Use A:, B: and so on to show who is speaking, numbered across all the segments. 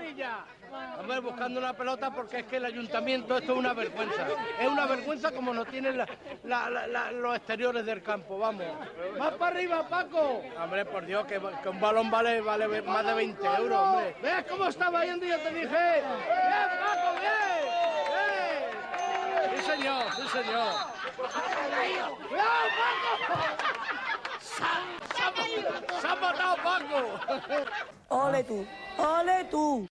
A: Sevilla. Hombre, buscando una pelota porque es que el ayuntamiento esto es una vergüenza. Es una vergüenza como nos tienen los exteriores del campo, vamos. ¡Más para arriba, Paco! Hombre, por Dios, que un balón vale más de 20 euros, hombre. ¿Ves cómo estaba yendo? Yo te dije. ¡Bien, Paco, bien! ¡Bien! Sí, señor, sí, señor. ¡Cuidado, Paco! ¡Se ha matado Paco!
B: ¡Ole tú! ¡Ole tú!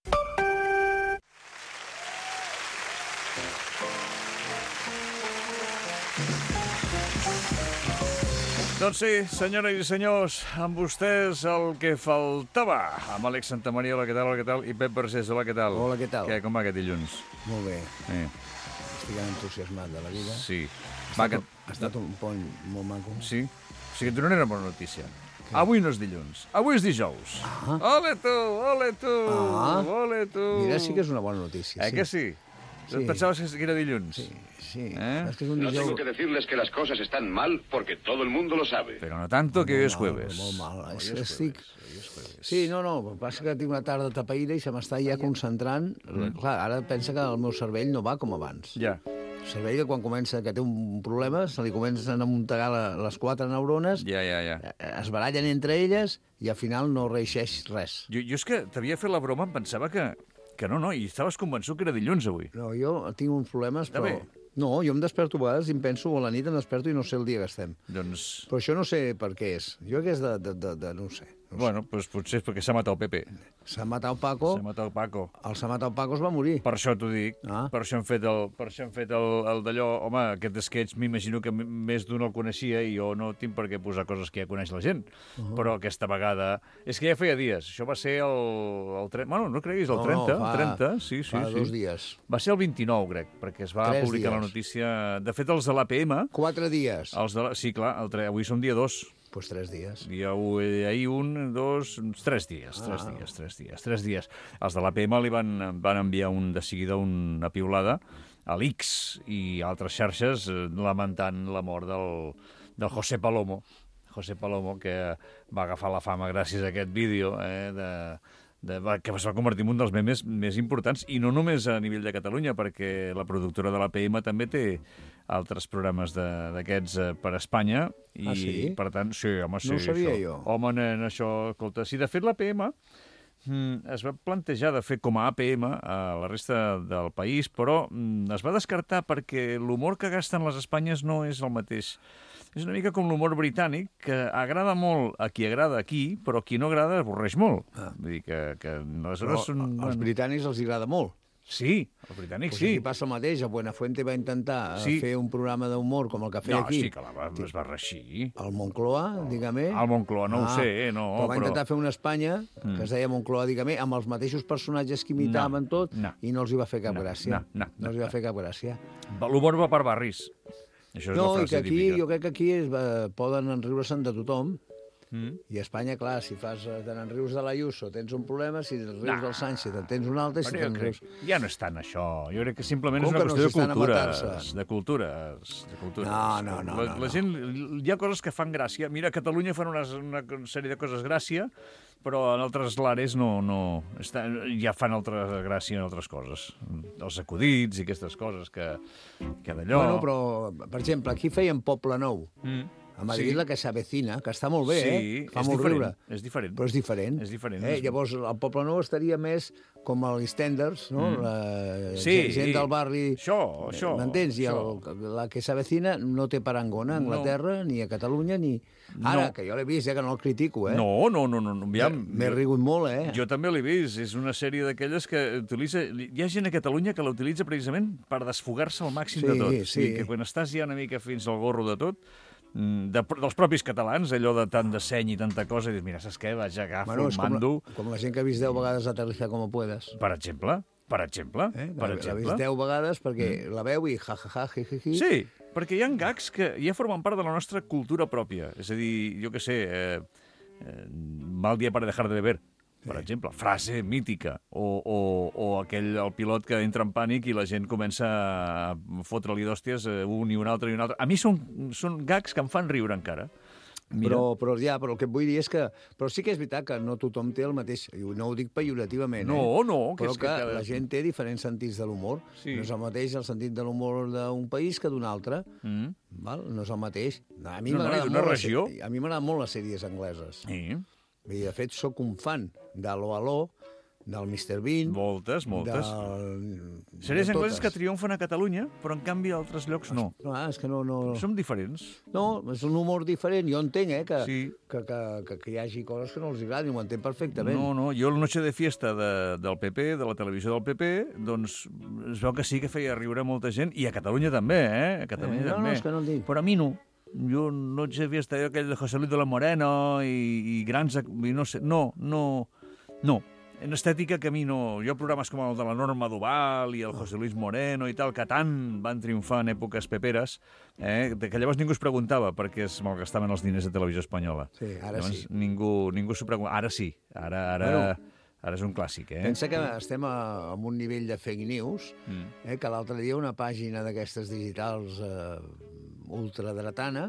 C: Doncs sí, senyores i senyors, amb vostès el que faltava. Amb Àlex Santamaria, hola, què tal, hola, què tal? I Pep Vergés, hola, què tal?
D: Hola, què tal?
C: Com va aquest dilluns?
D: Molt bé. Estic entusiasmat de la vida.
C: Sí.
D: Ha estat un pont molt maco.
C: Sí? O sigui, et donaré una bona notícia. Avui no és dilluns, avui és dijous. Ole tu, ole tu, ole tu.
D: Mira, sí que és una bona notícia.
C: Que sí?
D: Sí.
C: Pensaves que era dilluns?
D: Sí. Es que es un
E: No tengo que decirles que las cosas están mal porque todo el mundo lo sabe.
C: Però no tanto, que hoy es jueves.
D: Molt mal. Sí, no, el que passa que tinc una tarda tapaïda i se m'està ja concentrant. Clar, ara pensa que el meu cervell no va com abans.
C: Ja.
D: El cervell que quan comença que té un problema se li comencen a muntegar les 4 neurones,
C: Ja.
D: es barallen entre elles i al final no reeixeix res.
C: Jo és que t'havia fet la broma, em pensava que no, i estaves convençut que era dilluns avui.
D: No, jo tinc uns problemes,
C: Està
D: però...
C: bé.
D: No, jo em desperto a vegades i em penso, a la nit em desperto i no sé el dia que estem.
C: Doncs...
D: Però això no sé per què és. Jo que és de no ho sé.
C: Bueno, doncs potser és perquè s'ha matat el Pepe.
D: S'ha matat Paco.
C: S'ha matat el Paco.
D: El s'ha matat Paco es va morir.
C: Per això t'ho dic. Per això hem fet el d'allò... Home, aquest sketch m'imagino que més d'un el coneixia i jo no tinc per què posar coses que ja coneix la gent. Però aquesta vegada... És que ja feia dies. Això va ser el 30... Bueno, no creguis, el 30.
D: No,
C: el 30, sí.
D: Fa 2 dies.
C: Va ser el 29, crec, perquè es va publicar la notícia... De fet, els de l'APM...
D: 4 dies.
C: Sí, clar, avui som dia 2.
D: Pues 3 dies.
C: Ahir 1, 2, 3 dies. 3 dies. Els de l'APM li van enviar de seguida una piulada a l'X i altres xarxes lamentant la mort del José Palomo. José Palomo, que va agafar la fama gràcies a aquest vídeo, que es va convertir en un dels memes més importants, i no només a nivell de Catalunya, perquè la productora de l'APM també té altres programes d'aquests per Espanya, i
D: sí?
C: per tant, sí, home, sí.
D: No ho sabia jo.
C: Home, nen, això, escolta, si de fet l'APM es va plantejar de fer com a APM a la resta del país, però es va descartar perquè l'humor que gasten les Espanyes no és el mateix. És una mica com l'humor britànic, que agrada molt a qui agrada aquí, però a qui no agrada avorreix molt. Vull dir que aleshores...
D: Als britànics els agrada molt.
C: Sí, els britànics sí.
D: Aquí passa el mateix. A Buenafuente va intentar fer un programa d'humor com el que feia aquí.
C: No, sí, que es va reixir.
D: El Moncloa, dígame.
C: El Moncloa, no ho sé, no.
D: Però va intentar fer una Espanya, que es deia Moncloa, dígame, amb els mateixos personatges que imitaven tot, i no els hi va fer cap gràcia. No els hi va fer cap gràcia.
C: L'humor va per barris. Això és la frase típica.
D: Jo crec que aquí poden enriure-se'n de tothom. I a Espanya, clar, si fas de rius de l'Ayuso tens un problema, si rius del Sánchez tens un altre...
C: Ja no és tant això. Jo crec que simplement és una qüestió de cultures.
D: No.
C: La gent... Hi ha coses que fan gràcia. Mira, a Catalunya fan una sèrie de coses gràcia, però en altres lares ja fan gràcia en altres coses. Els acudits i aquestes coses que d'allò...
D: Bueno, però, per exemple, aquí feien Poble Nou. A Madrid la que s'avecina, que està molt bé, fa molt riure.
C: És diferent.
D: Però és diferent. Llavors, el Poble Nou estaria més com els EastEnders, no? Gent del barri...
C: Això.
D: M'entens? I la que s'avecina no té parangona a Anglaterra, ni a Catalunya, ni... Ara, que jo l'he vist, que no el critico,
C: No.
D: M'he rigut molt,
C: Jo també l'he vist. És una sèrie d'aquelles que utilitza... Hi ha gent a Catalunya que la utilitza precisament per desfogar-se al màxim de tot.
D: Sí.
C: Que quan estàs ja una mica fins al gorro de tot, dels propis catalans, allò de tant de seny i tanta cosa, i dius, mira, saps què? Vaig agafar un mando...
D: Com la gent que ha vist 10 vegades Aterrizar como puedas.
C: Per exemple.
D: L'ha vist 10 vegades perquè la veu i ja, jiji.
C: Sí, perquè hi ha gags que ja formen part de la nostra cultura pròpia. És a dir, jo què sé, mal dia para dejar de beber, per exemple, frase mítica, o el pilot que entra en pànic i la gent comença a fotre-li d'hòsties un i un altre. A mi són gags que em fan riure encara.
D: Però el que et vull dir és que... Però sí que és veritat que no tothom té el mateix... I no ho dic pejorativament,
C: No,
D: però que la gent té diferents sentits de l'humor.
C: Sí.
D: No és el mateix el sentit de l'humor d'un país que d'un altre. Val? No és el mateix. A mi m'agraden molt les sèries angleses.
C: Sí.
D: I, de fet, sóc un fan d'Aló Aló, del Mr. Bean...
C: Moltes. Sèries angleses que triomfen a Catalunya, però en canvi a altres llocs no.
D: És que no...
C: Som diferents.
D: No, és un humor diferent. Jo entenc,
C: Sí.
D: que hi hagi coses que no els agradin, ho entenc perfectament.
C: No, jo la Noche de Fiesta del PP, de la televisió del PP, doncs es veu que sí que feia riure molta gent, i a Catalunya també, A Catalunya també.
D: No, és que no el dic.
C: Però a mi no. Jo Noche de Fiesta, aquell de José Luis de la Moreno i grans... I no sé, no. En estètica que a mi no... Jo programes com el de la Norma Duval i el José Luis Moreno i tal, que tant van triomfar en èpoques peperes, que llavors ningú es preguntava perquè es malgastaven els diners de Televisió Espanyola.
D: Sí, ara
C: llavors,
D: sí.
C: Ningú s'ho preguntava. Ara sí. Ara és un clàssic,
D: Pensa que estem en un nivell de fake news, que l'altre dia una pàgina d'aquestes digitals ultradretana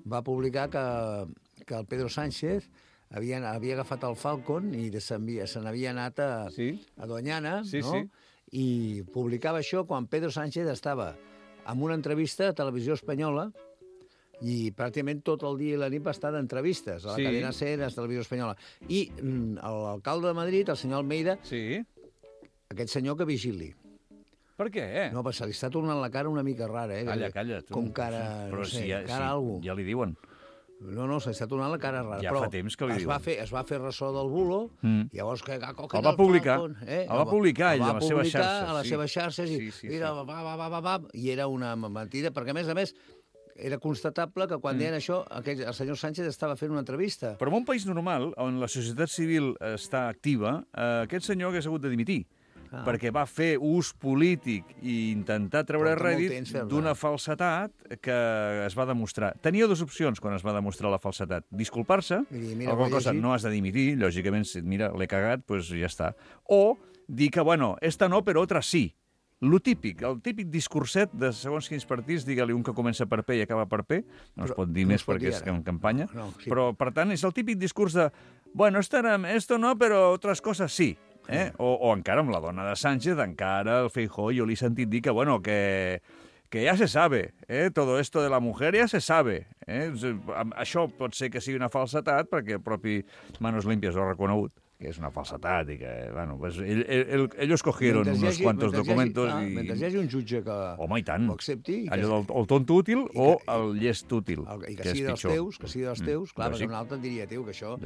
D: va publicar que el Pedro Sánchez havia agafat el Falcon i se n'havia anat a Doñana, no?
C: Sí.
D: I publicava això quan Pedro Sánchez estava en una entrevista a Televisió Espanyola i pràcticament tot el dia i la nit va estar d'entrevistes a la cadena SER, a la Televisió Espanyola. I l'alcalde de Madrid, el senyor Almeida, aquest senyor que vigili.
C: Per què?
D: No, se li està tornant la cara una mica rara,
C: Calla, tu.
D: Com cara,
C: però
D: no sé,
C: si
D: cara algú.
C: Ja li diuen.
D: No, se li està tornant la cara rara.
C: Ja fa temps que li diuen.
D: Es va fer ressò del bulo, i llavors...
C: El va publicar. El va publicar ell a les seves xarxes.
D: A les seves xarxes i mira, i era una mentida, perquè a més era constatable que quan deien això, el senyor Sánchez estava fent una entrevista.
C: Però en un país normal, on la societat civil està activa, aquest senyor hagués hagut de dimitir. Perquè va fer ús polític i intentar treure rèdit d'una falsetat que es va demostrar. Tenia dues opcions quan es va demostrar la falsetat. Disculpar-se, alguna cosa no has de dimitir, lògicament, mira, l'he cagat, doncs ja està. O dir que, bueno, esta no, però otra sí. El típic discurset de segons quins partits, digue-li un que comença per P i acaba per P, no es pot dir més perquè és en campanya, però, per tant, és el típic discurs de, bueno, esto no, però otras cosas sí. O encara amb la dona de Sánchez, encara el Feijóo, jo li he sentit dir que, bueno, que ja se sabe, todo esto de la mujer ya se sabe. Això pot ser que sigui una falsetat, perquè el propi Manos Limpias ho ha reconegut, que és una falsetat i que, bueno, pues ellos cogieron unos cuantos documentos i...
D: Mentre hi hagi un jutge que ho accepti...
C: Allò del tonto útil o el llest útil,
D: que sigui dels teus, clar, perquè un altre et diria, tio, que això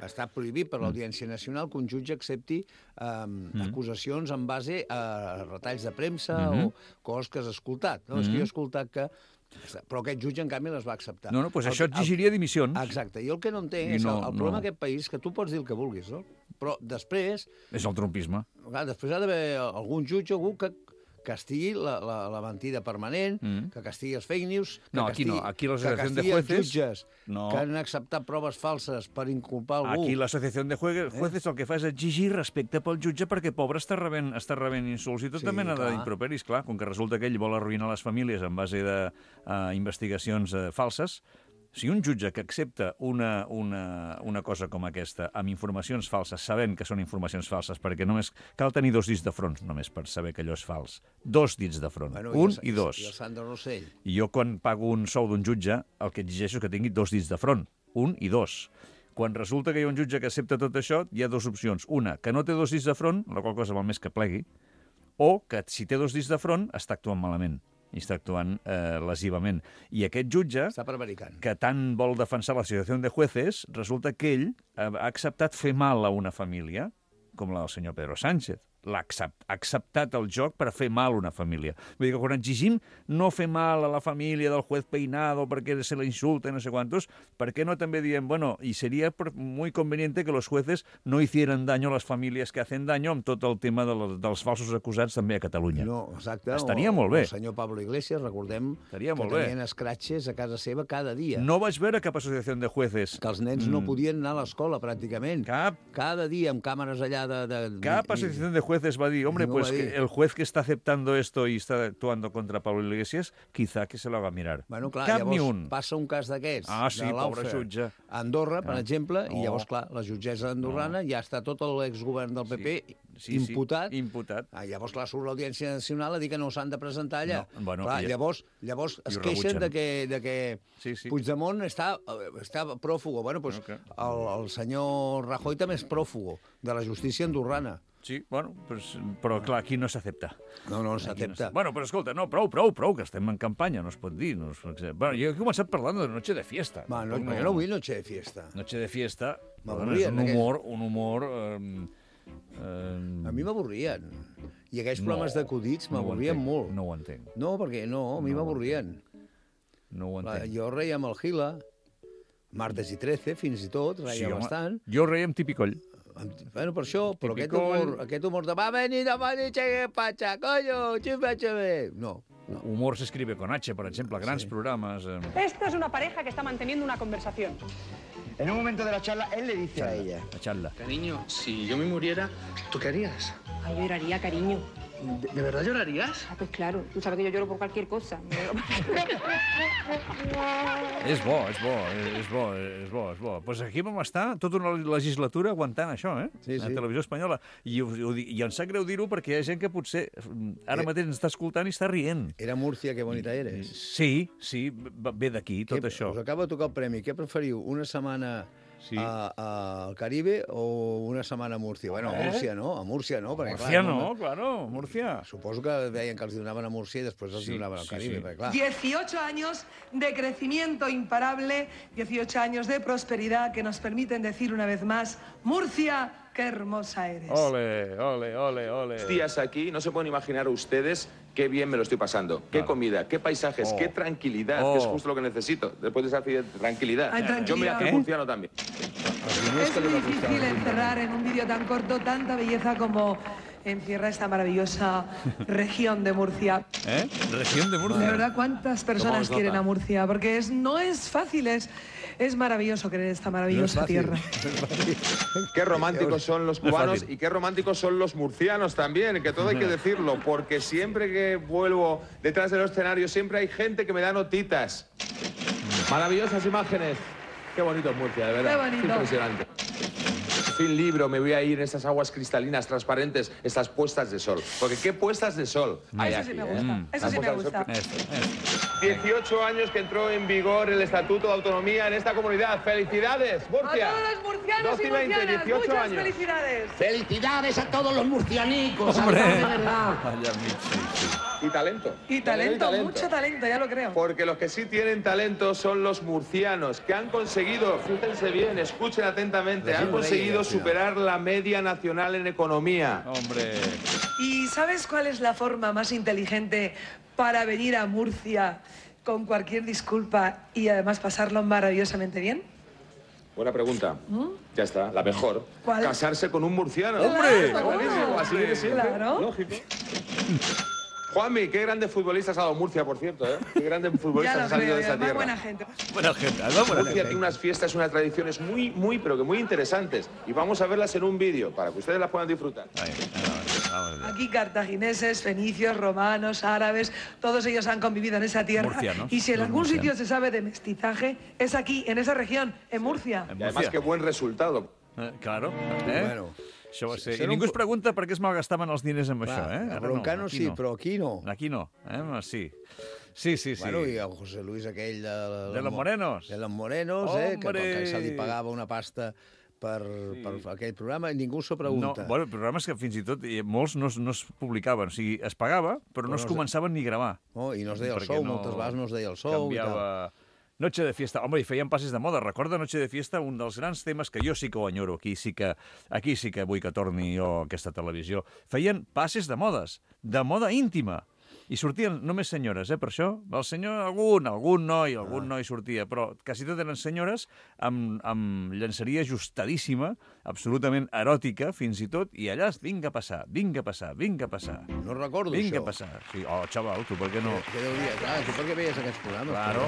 D: està prohibit per l'Audiència Nacional que un jutge accepti acusacions en base a retalls de premsa o coses que has escoltat. És que jo he escoltat que... Però aquest jutge, en canvi, les va acceptar.
C: No, doncs això exigiria dimissions.
D: Exacte. Jo el que no entenc és el problema d'aquest país, que tu pots dir el que vulguis, no? Però després...
C: És el trumpisme.
D: Després ha d'haver algun jutge, algú que castigui la mentida permanent, que castigui els fake news,
C: que castigui
D: els jutges que han acceptat proves falses per inculpar algú.
C: Aquí l'associació de jueces el que fa és exigir respecte pel jutge perquè, pobre, està rebent insults i tota mena d'improperis, clar, com que resulta que ell vol arruïnar les famílies en base d'investigacions falses. Si un jutge que accepta una cosa com aquesta amb informacions falses, sabent que són informacions falses, perquè només cal tenir 2 dits de front només per saber que allò és fals. 2 dits de front, un i 2.
D: I el Sandro Rossell.
C: I jo, quan pago un sou d'un jutge, el que exigeixo és que tingui 2 dits de front, 1 i 2. Quan resulta que hi ha un jutge que accepta tot això, hi ha 2 opcions. Una, que no té 2 dits de front, la qual cosa val més que plegui, o que si té 2 dits de front està actuant malament i està actuant lesivament. I aquest jutge, que tant vol defensar l'associació de jueces, resulta que ell ha acceptat fer mal a una família, com la del senyor Pedro Sánchez. L'ha acceptat el joc per fer mal a una família. Vull dir que quan exigim no fer mal a la família del juez Peinado perquè se la insulta i no sé quantos, per què no també diem, bueno, y sería muy conveniente que los jueces no hicieran daño a las familias que hacen daño amb tot el tema dels falsos acusats també a Catalunya.
D: No, exacte.
C: Estaria molt bé.
D: El senyor Pablo Iglesias, recordem que tenien escratxes a casa seva cada dia.
C: No vaig veure cap associació de jueces.
D: Que els nens no podien anar a l'escola, pràcticament.
C: Cap.
D: Cada dia amb càmeres allà de...
C: Cap associació de jueces jueces va a decir, hombre,
D: No
C: pues
D: va a dir.
C: que el juez que está aceptando esto y está actuando contra Pablo Iglesias, quizá que se lo haga mirar.
D: Bueno, clar,
C: Cap ni
D: llavors
C: un.
D: passa un cas d'aquests,
C: Ah, sí,
D: de
C: pobre
D: Lawfare,
C: jutge.
D: a Andorra, per exemple, i
C: Oh.
D: llavors, clar, la jutgessa andorrana ja està tot l'exgovern del PP
C: Sí,
D: imputat.
C: Sí, imputat.
D: Llavors, clar, surt l'Audiència Nacional a dir que no s'han de presentar allà.
C: No, bueno,
D: clar,
C: i-
D: llavors es
C: ho
D: queixen
C: rebutgen.
D: de que
C: Sí.
D: Puigdemont està pròfugo. Bueno, doncs
C: Okay.
D: el senyor Rajoy també és pròfugo de la justícia andorrana.
C: Sí, bueno, pues, però clar, aquí no s'accepta.
D: No s'accepta.
C: Bueno, però escolta, no, prou, que estem en campanya, no es pot dir. No es... Bueno, jo he començat parlant de Noche de Fiesta.
D: Va, no,
C: Tampoc
D: jo no vull noche de fiesta.
C: Noche de Fiesta,
D: M'avorrien,
C: és un humor...
D: A mi m'avorrien. I aquells programes d'acudits m'avorrien molt.
C: No ho entenc.
D: No, perquè no, a mi m'avorrien.
C: No ho entenc.
D: Jo reia amb el Gila, martes i 13, fins i tot, reia
C: home,
D: bastant.
C: Jo reia amb Tipicoll.
D: Bueno, per això, però
C: Tipicoll.
D: aquest humor de va venir de Che Pacha, coño, chimpache. No.
C: Humor se escribe con H, per exemple, grans programes.
F: Esto es una pareja que está manteniendo una conversación.
G: En un momento de la charla, él le dice a ella:
C: La xatla.
A: Cariño, si yo me muriera, ¿tú qué harías?
F: Ay, lloraría, cariño.
A: ¿De verdad llorarías?
F: Ah, pues claro, tú sabes que yo lloro por cualquier cosa.
C: És bo. Pues aquí vam estar tota una legislatura aguantant això,
D: Sí,
C: A
D: sí.
C: Televisió Espanyola. I em sap greu dir-ho perquè hi ha gent que potser ara mateix ens està escoltant i està rient.
D: Era Múrcia, que bonita eres.
C: Sí, ve d'aquí, tot això.
D: Us acaba de tocar el premi. Què preferiu, una setmana al Caribe o una setmana a Múrcia? Bueno, a Múrcia no, perquè
C: Múrcia
D: clar...
C: no, claro, Múrcia.
D: Suposo que deien que els donaven a Múrcia i després els donaven al Caribe, perquè clar...
H: 18 años de crecimiento imparable, 18 años de prosperidad que nos permiten decir una vez más, Murcia, qué hermosa eres.
C: Ole, ole, ole, ole.
I: Días aquí, no se pueden imaginar ustedes qué bien me lo estoy pasando. Qué
C: Claro.
I: comida, qué paisajes,
C: Oh.
I: qué tranquilidad, que es justo lo que necesito. Después de esa tranquilidad.
H: Hay tranquilidad.
I: Yo me hago murciano también.
H: Es muy difícil encerrar en un vídeo tan corto tanta belleza como encierra esta maravillosa región de Murcia.
C: Región de
H: De
C: Murcia.
H: verdad, ¿cuántas personas
I: nota?
H: quieren a Murcia? Porque no es fácil, es maravilloso querer esta maravillosa tierra.
I: Qué románticos son los
C: No es
I: cubanos
C: fácil.
I: y qué románticos son los murcianos también, que todo hay que decirlo, porque siempre que vuelvo detrás de los escenarios siempre hay gente que me da notitas. Maravillosas imágenes. Qué bonito es Murcia, de verdad.
H: Qué bonito.
I: Impresionante. Fin libro, me voy a ir en estas aguas cristalinas, transparentes, estas puestas de sol. Porque qué puestas de sol hay
H: Eso sí
I: aquí,
H: me
I: ¿eh?
H: gusta, eso sí me
I: Las puestas de
H: gusta.
I: sol. 18 años que entró en vigor el Estatuto de Autonomía en esta comunidad. ¡Felicidades,
H: A
I: Murcia!
H: todos los murcianos
I: 12
H: y
I: y 20,
H: murcianas,
I: 18
H: muchas
I: años.
H: felicidades.
G: ¡Felicidades a todos los murcianicos!
C: Hombre.
G: de verdad!
C: Allà al mig, sí.
I: Y talento.
H: Y talento, mucho talento, ya lo creo.
I: Porque los que sí tienen talento son los murcianos, que han conseguido, fíjense bien, escuchen atentamente, han conseguido superar la media nacional en economía.
C: Hombre.
H: ¿Y sabes cuál es la forma más inteligente para venir a Murcia con cualquier disculpa y además pasarlo maravillosamente bien?
I: Buena pregunta. Ya está, la mejor.
H: ¿Cuál?
I: Casarse con un murciano.
C: ¡Hombre!
I: Está buenísimo, así viene siempre.
H: Claro.
I: Lógico. Juanmi, qué grandes futbolistas ha dado Murcia, por cierto, ¿eh? Qué grandes
H: Ya
I: futbolistas
H: lo
I: han salido
H: creo,
I: de
H: y
I: esta
H: además
I: tierra.
H: buena gente.
C: Buena gente, ¿no? Buena
I: Murcia tiene unas fiestas, unas tradiciones pero que muy interesantes. Y vamos a verlas en un vídeo para que ustedes las puedan disfrutar.
C: Vamos.
H: Aquí cartagineses, fenicios, romanos, árabes, todos ellos han convivido en esa tierra.
C: Murcianos,
H: Y si en
C: los
H: algún
C: murcianos.
H: sitio se sabe de mestizaje, es aquí, en esa región, en Murcia.
I: Y además, qué buen resultado.
C: Claro.
D: Bueno,
C: Això va ser...
D: serà
C: I ningú
D: un-
C: es pregunta per què es malgastaven els diners amb això,
D: a
C: Ara
D: Broncano
C: aquí
D: sí, però aquí no.
C: Aquí no, Sí. Sí.
D: Bueno, i el José Luis aquell
C: De los Morenos.
D: De los Morenos,
C: Hombre!
D: que se li pagava una pasta per aquell programa i ningú s'ho
C: No,
D: pregunta.
C: bueno, programes que fins i tot molts no es publicaven. O sigui, es pagava, però no es començaven ni a gravar.
D: No, i no es deia el
C: Perquè
D: sou, moltes vegades no es deia el sou i tal.
C: Canviava... Noche de Fiesta. Home, i feien passes de moda. Recorda Noche de Fiesta, un dels grans temes que jo sí que ho enyoro. Aquí sí que vull que torni jo a aquesta televisió. Feien passes de moda íntima. I sortien només senyores, per això. El senyor, algun noi sortia, però quasi tot eren senyores amb llançaria ajustadíssima, absolutament eròtica, fins i tot, i allà, vinga a passar.
D: No recordo
C: Vinga
D: això.
C: a passar. Sí, xaval, tu per què no?
D: Què deu dir? Clar, tu per què veies aquests programes?
C: Claro.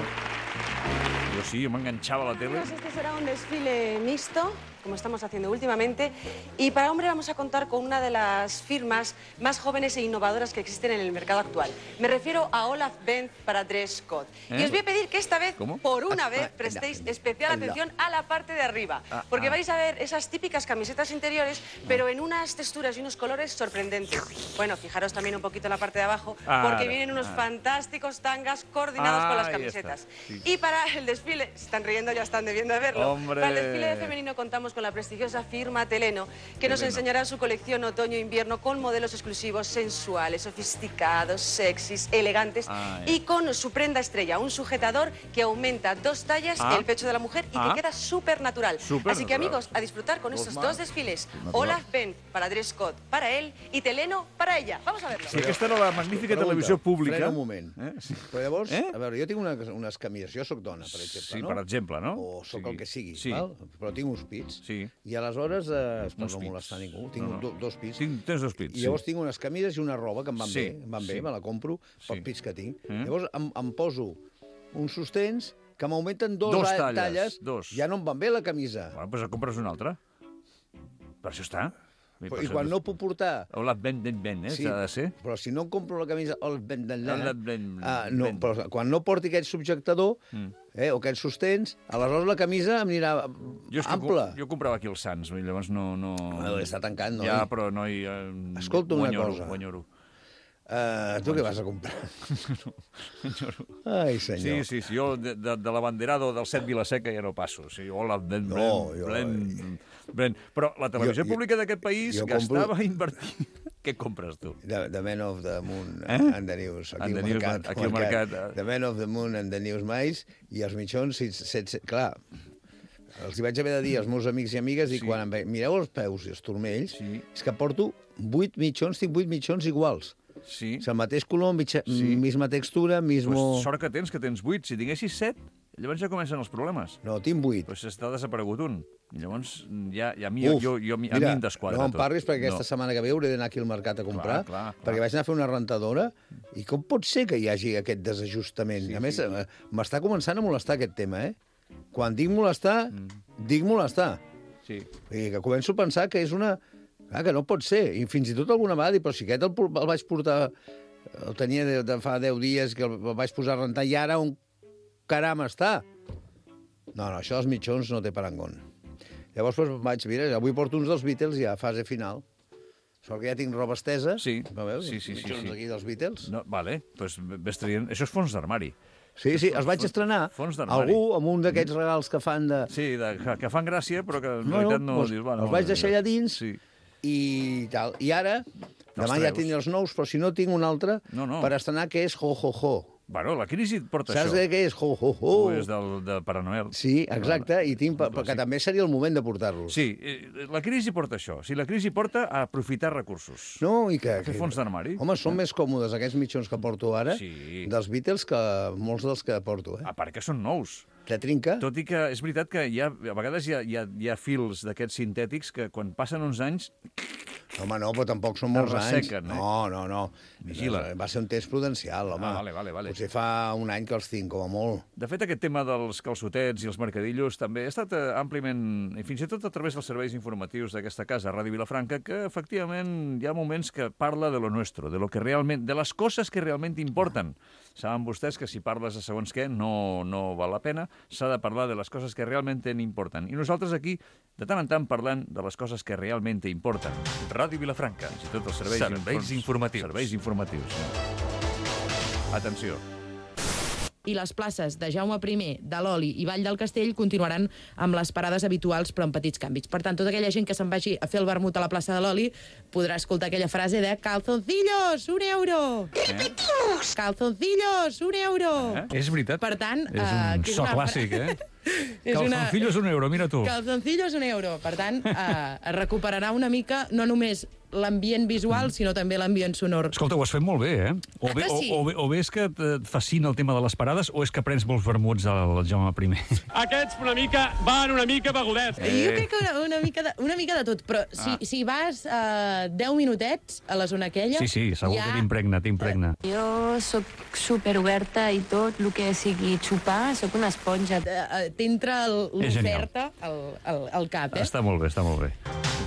C: Jo sí, jo m'enganxava a la tele.
J: Este será un desfile mixto, como estamos haciendo últimamente, y para hombre vamos a contar con una de las firmas más jóvenes e innovadoras que existen en el mercado actual. Me refiero a Olaf Benz para Dress Code. Y os voy a pedir que esta vez, por una vez, prestéis especial atención a la parte de arriba, porque vais a ver esas típicas camisetas interiores, pero en unas texturas y unos colores sorprendentes. Bueno, fijaros también un poquito en la parte de abajo, porque vienen unos fantásticos tangas coordinados con las camisetas. Sí. Y para el desfile, se están riendo, ya están debiendo de verlo.
C: ¡Hombre!
J: Para el desfile femenino contamos con la prestigiosa firma Teleno, que nos enseñará su colección otoño-invierno con modelos exclusivos, sensuales, sofisticados, sexys, elegantes y con su prenda estrella, un sujetador que aumenta 2 tallas el pecho de la mujer y que queda súper natural. Así que amigos, a disfrutar con estos 2 desfiles. Olaf Benz para Dress Code para él i Teleno para ella. Vamos a verlo.
C: Sí, aquesta era la magnífica televisió pública.
D: Frena un moment. Sí. Però llavors, a veure, jo tinc unes camises, jo soc dona, per exemple,
C: sí, per exemple, no?
D: O soc el que sigui, val? Però tinc uns pits.
C: Sí.
D: I aleshores, per no molestar ningú, tinc 2 pits.
C: Tens 2 pits,
D: I llavors tinc unes camises i una roba que em van bé, me la compro pels pits que tinc. Llavors em poso uns sostens que m'augmenten 2 talles. Ja no em van bé la camisa.
C: Bueno, doncs compres una altra. Per això està.
D: I quan no puc portar...
C: Olaf Benz, s'ha de ser.
D: Però si no em compro la camisa Olaf Benz, però quan no porti aquest subjectador o aquests sostens, aleshores la camisa em anirà ampla.
C: Jo comprava aquí els Sants, llavors no...
D: Està tancant, noi.
C: Ja, però no hi...
D: Escolta una cosa.
C: Guanyoro.
D: Tu què vas a comprar? Ai, senyor.
C: Sí, jo de l'abanderado del Set Vilaseca ja no passo. Sí, Olaf Benz, però la televisió pública d'aquest país gastava invertint... Què compres tu?
D: The Man of the Moon and the News. Aquí al mercat. The Man of the Moon and the News mais, i els mitjons, clar, els hi vaig haver de dir als meus amics i amigues, i quan em veien, mireu els peus i els turmells, és que porto 8 mitjons, tinc 8 mitjons iguals.
C: Sí.
D: És el mateix color, misma textura, mismo...
C: Sort que tens 8. Si tinguessis 7, llavors ja comencen els problemes.
D: No, tinc 8.
C: Però s'està desaparegut un. Llavors, ja a mi em desquadra tot.
D: No em parlis, perquè aquesta setmana que ve hauré d'anar aquí al mercat a comprar, perquè vaig anar a fer una rentadora, i com pot ser que hi hagi aquest desajustament? A més, m'està començant a molestar aquest tema, Quan dic molestar, dic molestar.
C: Sí.
D: I que començo a pensar que és una... Clar, que no pot ser. I fins i tot alguna vegada, però si aquest el vaig portar... El tenia de fa 10 dies, que el vaig posar a rentar, i ara on caram està? No, això dels mitjons no té parangón. Llavors vaig, mira, avui porto uns dels Beatles ja a fase final. Sort que ja tinc roba estesa.
C: Sí.
D: No veus? Mitjons aquí dels Beatles.
C: No, vale, doncs ves traient... Això és fons d'armari.
D: Sí, els vaig estrenar. Algú amb un d'aquests regals que fan de...
C: Sí, que fan gràcia, però que en realitat no...
D: Els vaig deixar allà dins i tal. I ara, demà ja tinc els nous, però si no tinc un altre per estrenar, que és Ho Ho Ho.
C: Bueno, la crisi porta
D: això. Saps què és? Ho Ho Ho.
C: És de Pare Noel.
D: Sí, exacte, i tinc perquè també seria el moment de portar-los.
C: Sí, la crisi porta això. Si la crisi porta a aprofitar recursos.
D: No, i que...
C: A fer fons d'armari.
D: Home, són més còmodes aquests mitjons que porto ara dels Beatles que molts dels que porto,
C: A part que són nous.
D: Te trinca.
C: Tot i que és veritat que a vegades hi ha fils d'aquests sintètics que quan passen uns anys...
D: Home, no, però tampoc són molts anys. No.
C: Vigila.
D: Va ser un test prudencial, home.
C: Vale.
D: Potser fa un any que els tinc, com a molt.
C: De fet, aquest tema dels calçotets i els mercadillos també ha estat àmpliament, i fins i tot a través dels serveis informatius d'aquesta casa, Ràdio Vilafranca, que efectivament hi ha moments que parla de lo nuestro, de les coses que realment importen. Saben vostès que si parles de segons què no val la pena, s'ha de parlar de les coses que realment importen. I nosaltres aquí, de tant en tant, parlant de les coses que realment importen.
K: Ràdio Vilafranca.
C: Fins i tot els
K: serveis informatius.
C: Serveis informatius. Atenció.
L: I les places de Jaume I, de l'Oli i Vall del Castell continuaran amb les parades habituals, però amb petits canvis. Per tant, tota aquella gent que se'n vagi a fer el vermut a la plaça de l'Oli podrà escoltar aquella frase de «Calzoncillos, €1». Calzoncillos, €1.
K: És veritat.
L: Per tant...
K: És un so clàssic,
C: Calzoncillo és €1, mira tu.
L: Calzoncillo és €1. Per tant, es recuperarà una mica no només l'ambient visual, sinó també l'ambient sonor.
C: Escolta, ho has fet molt bé, eh? O bé és que et fascina el tema de les parades o és que prens molts vermuts al Jaume I.
M: Aquests van una mica begudets.
L: Jo crec que una mica de tot, però si vas 10 minutets a la zona aquella...
C: Sí, segur que t'impregna.
N: Jo sóc superoberta i tot, el que sigui xupar, sóc una esponja.
L: T'entra l'oferta al cap, eh?
C: Està molt bé.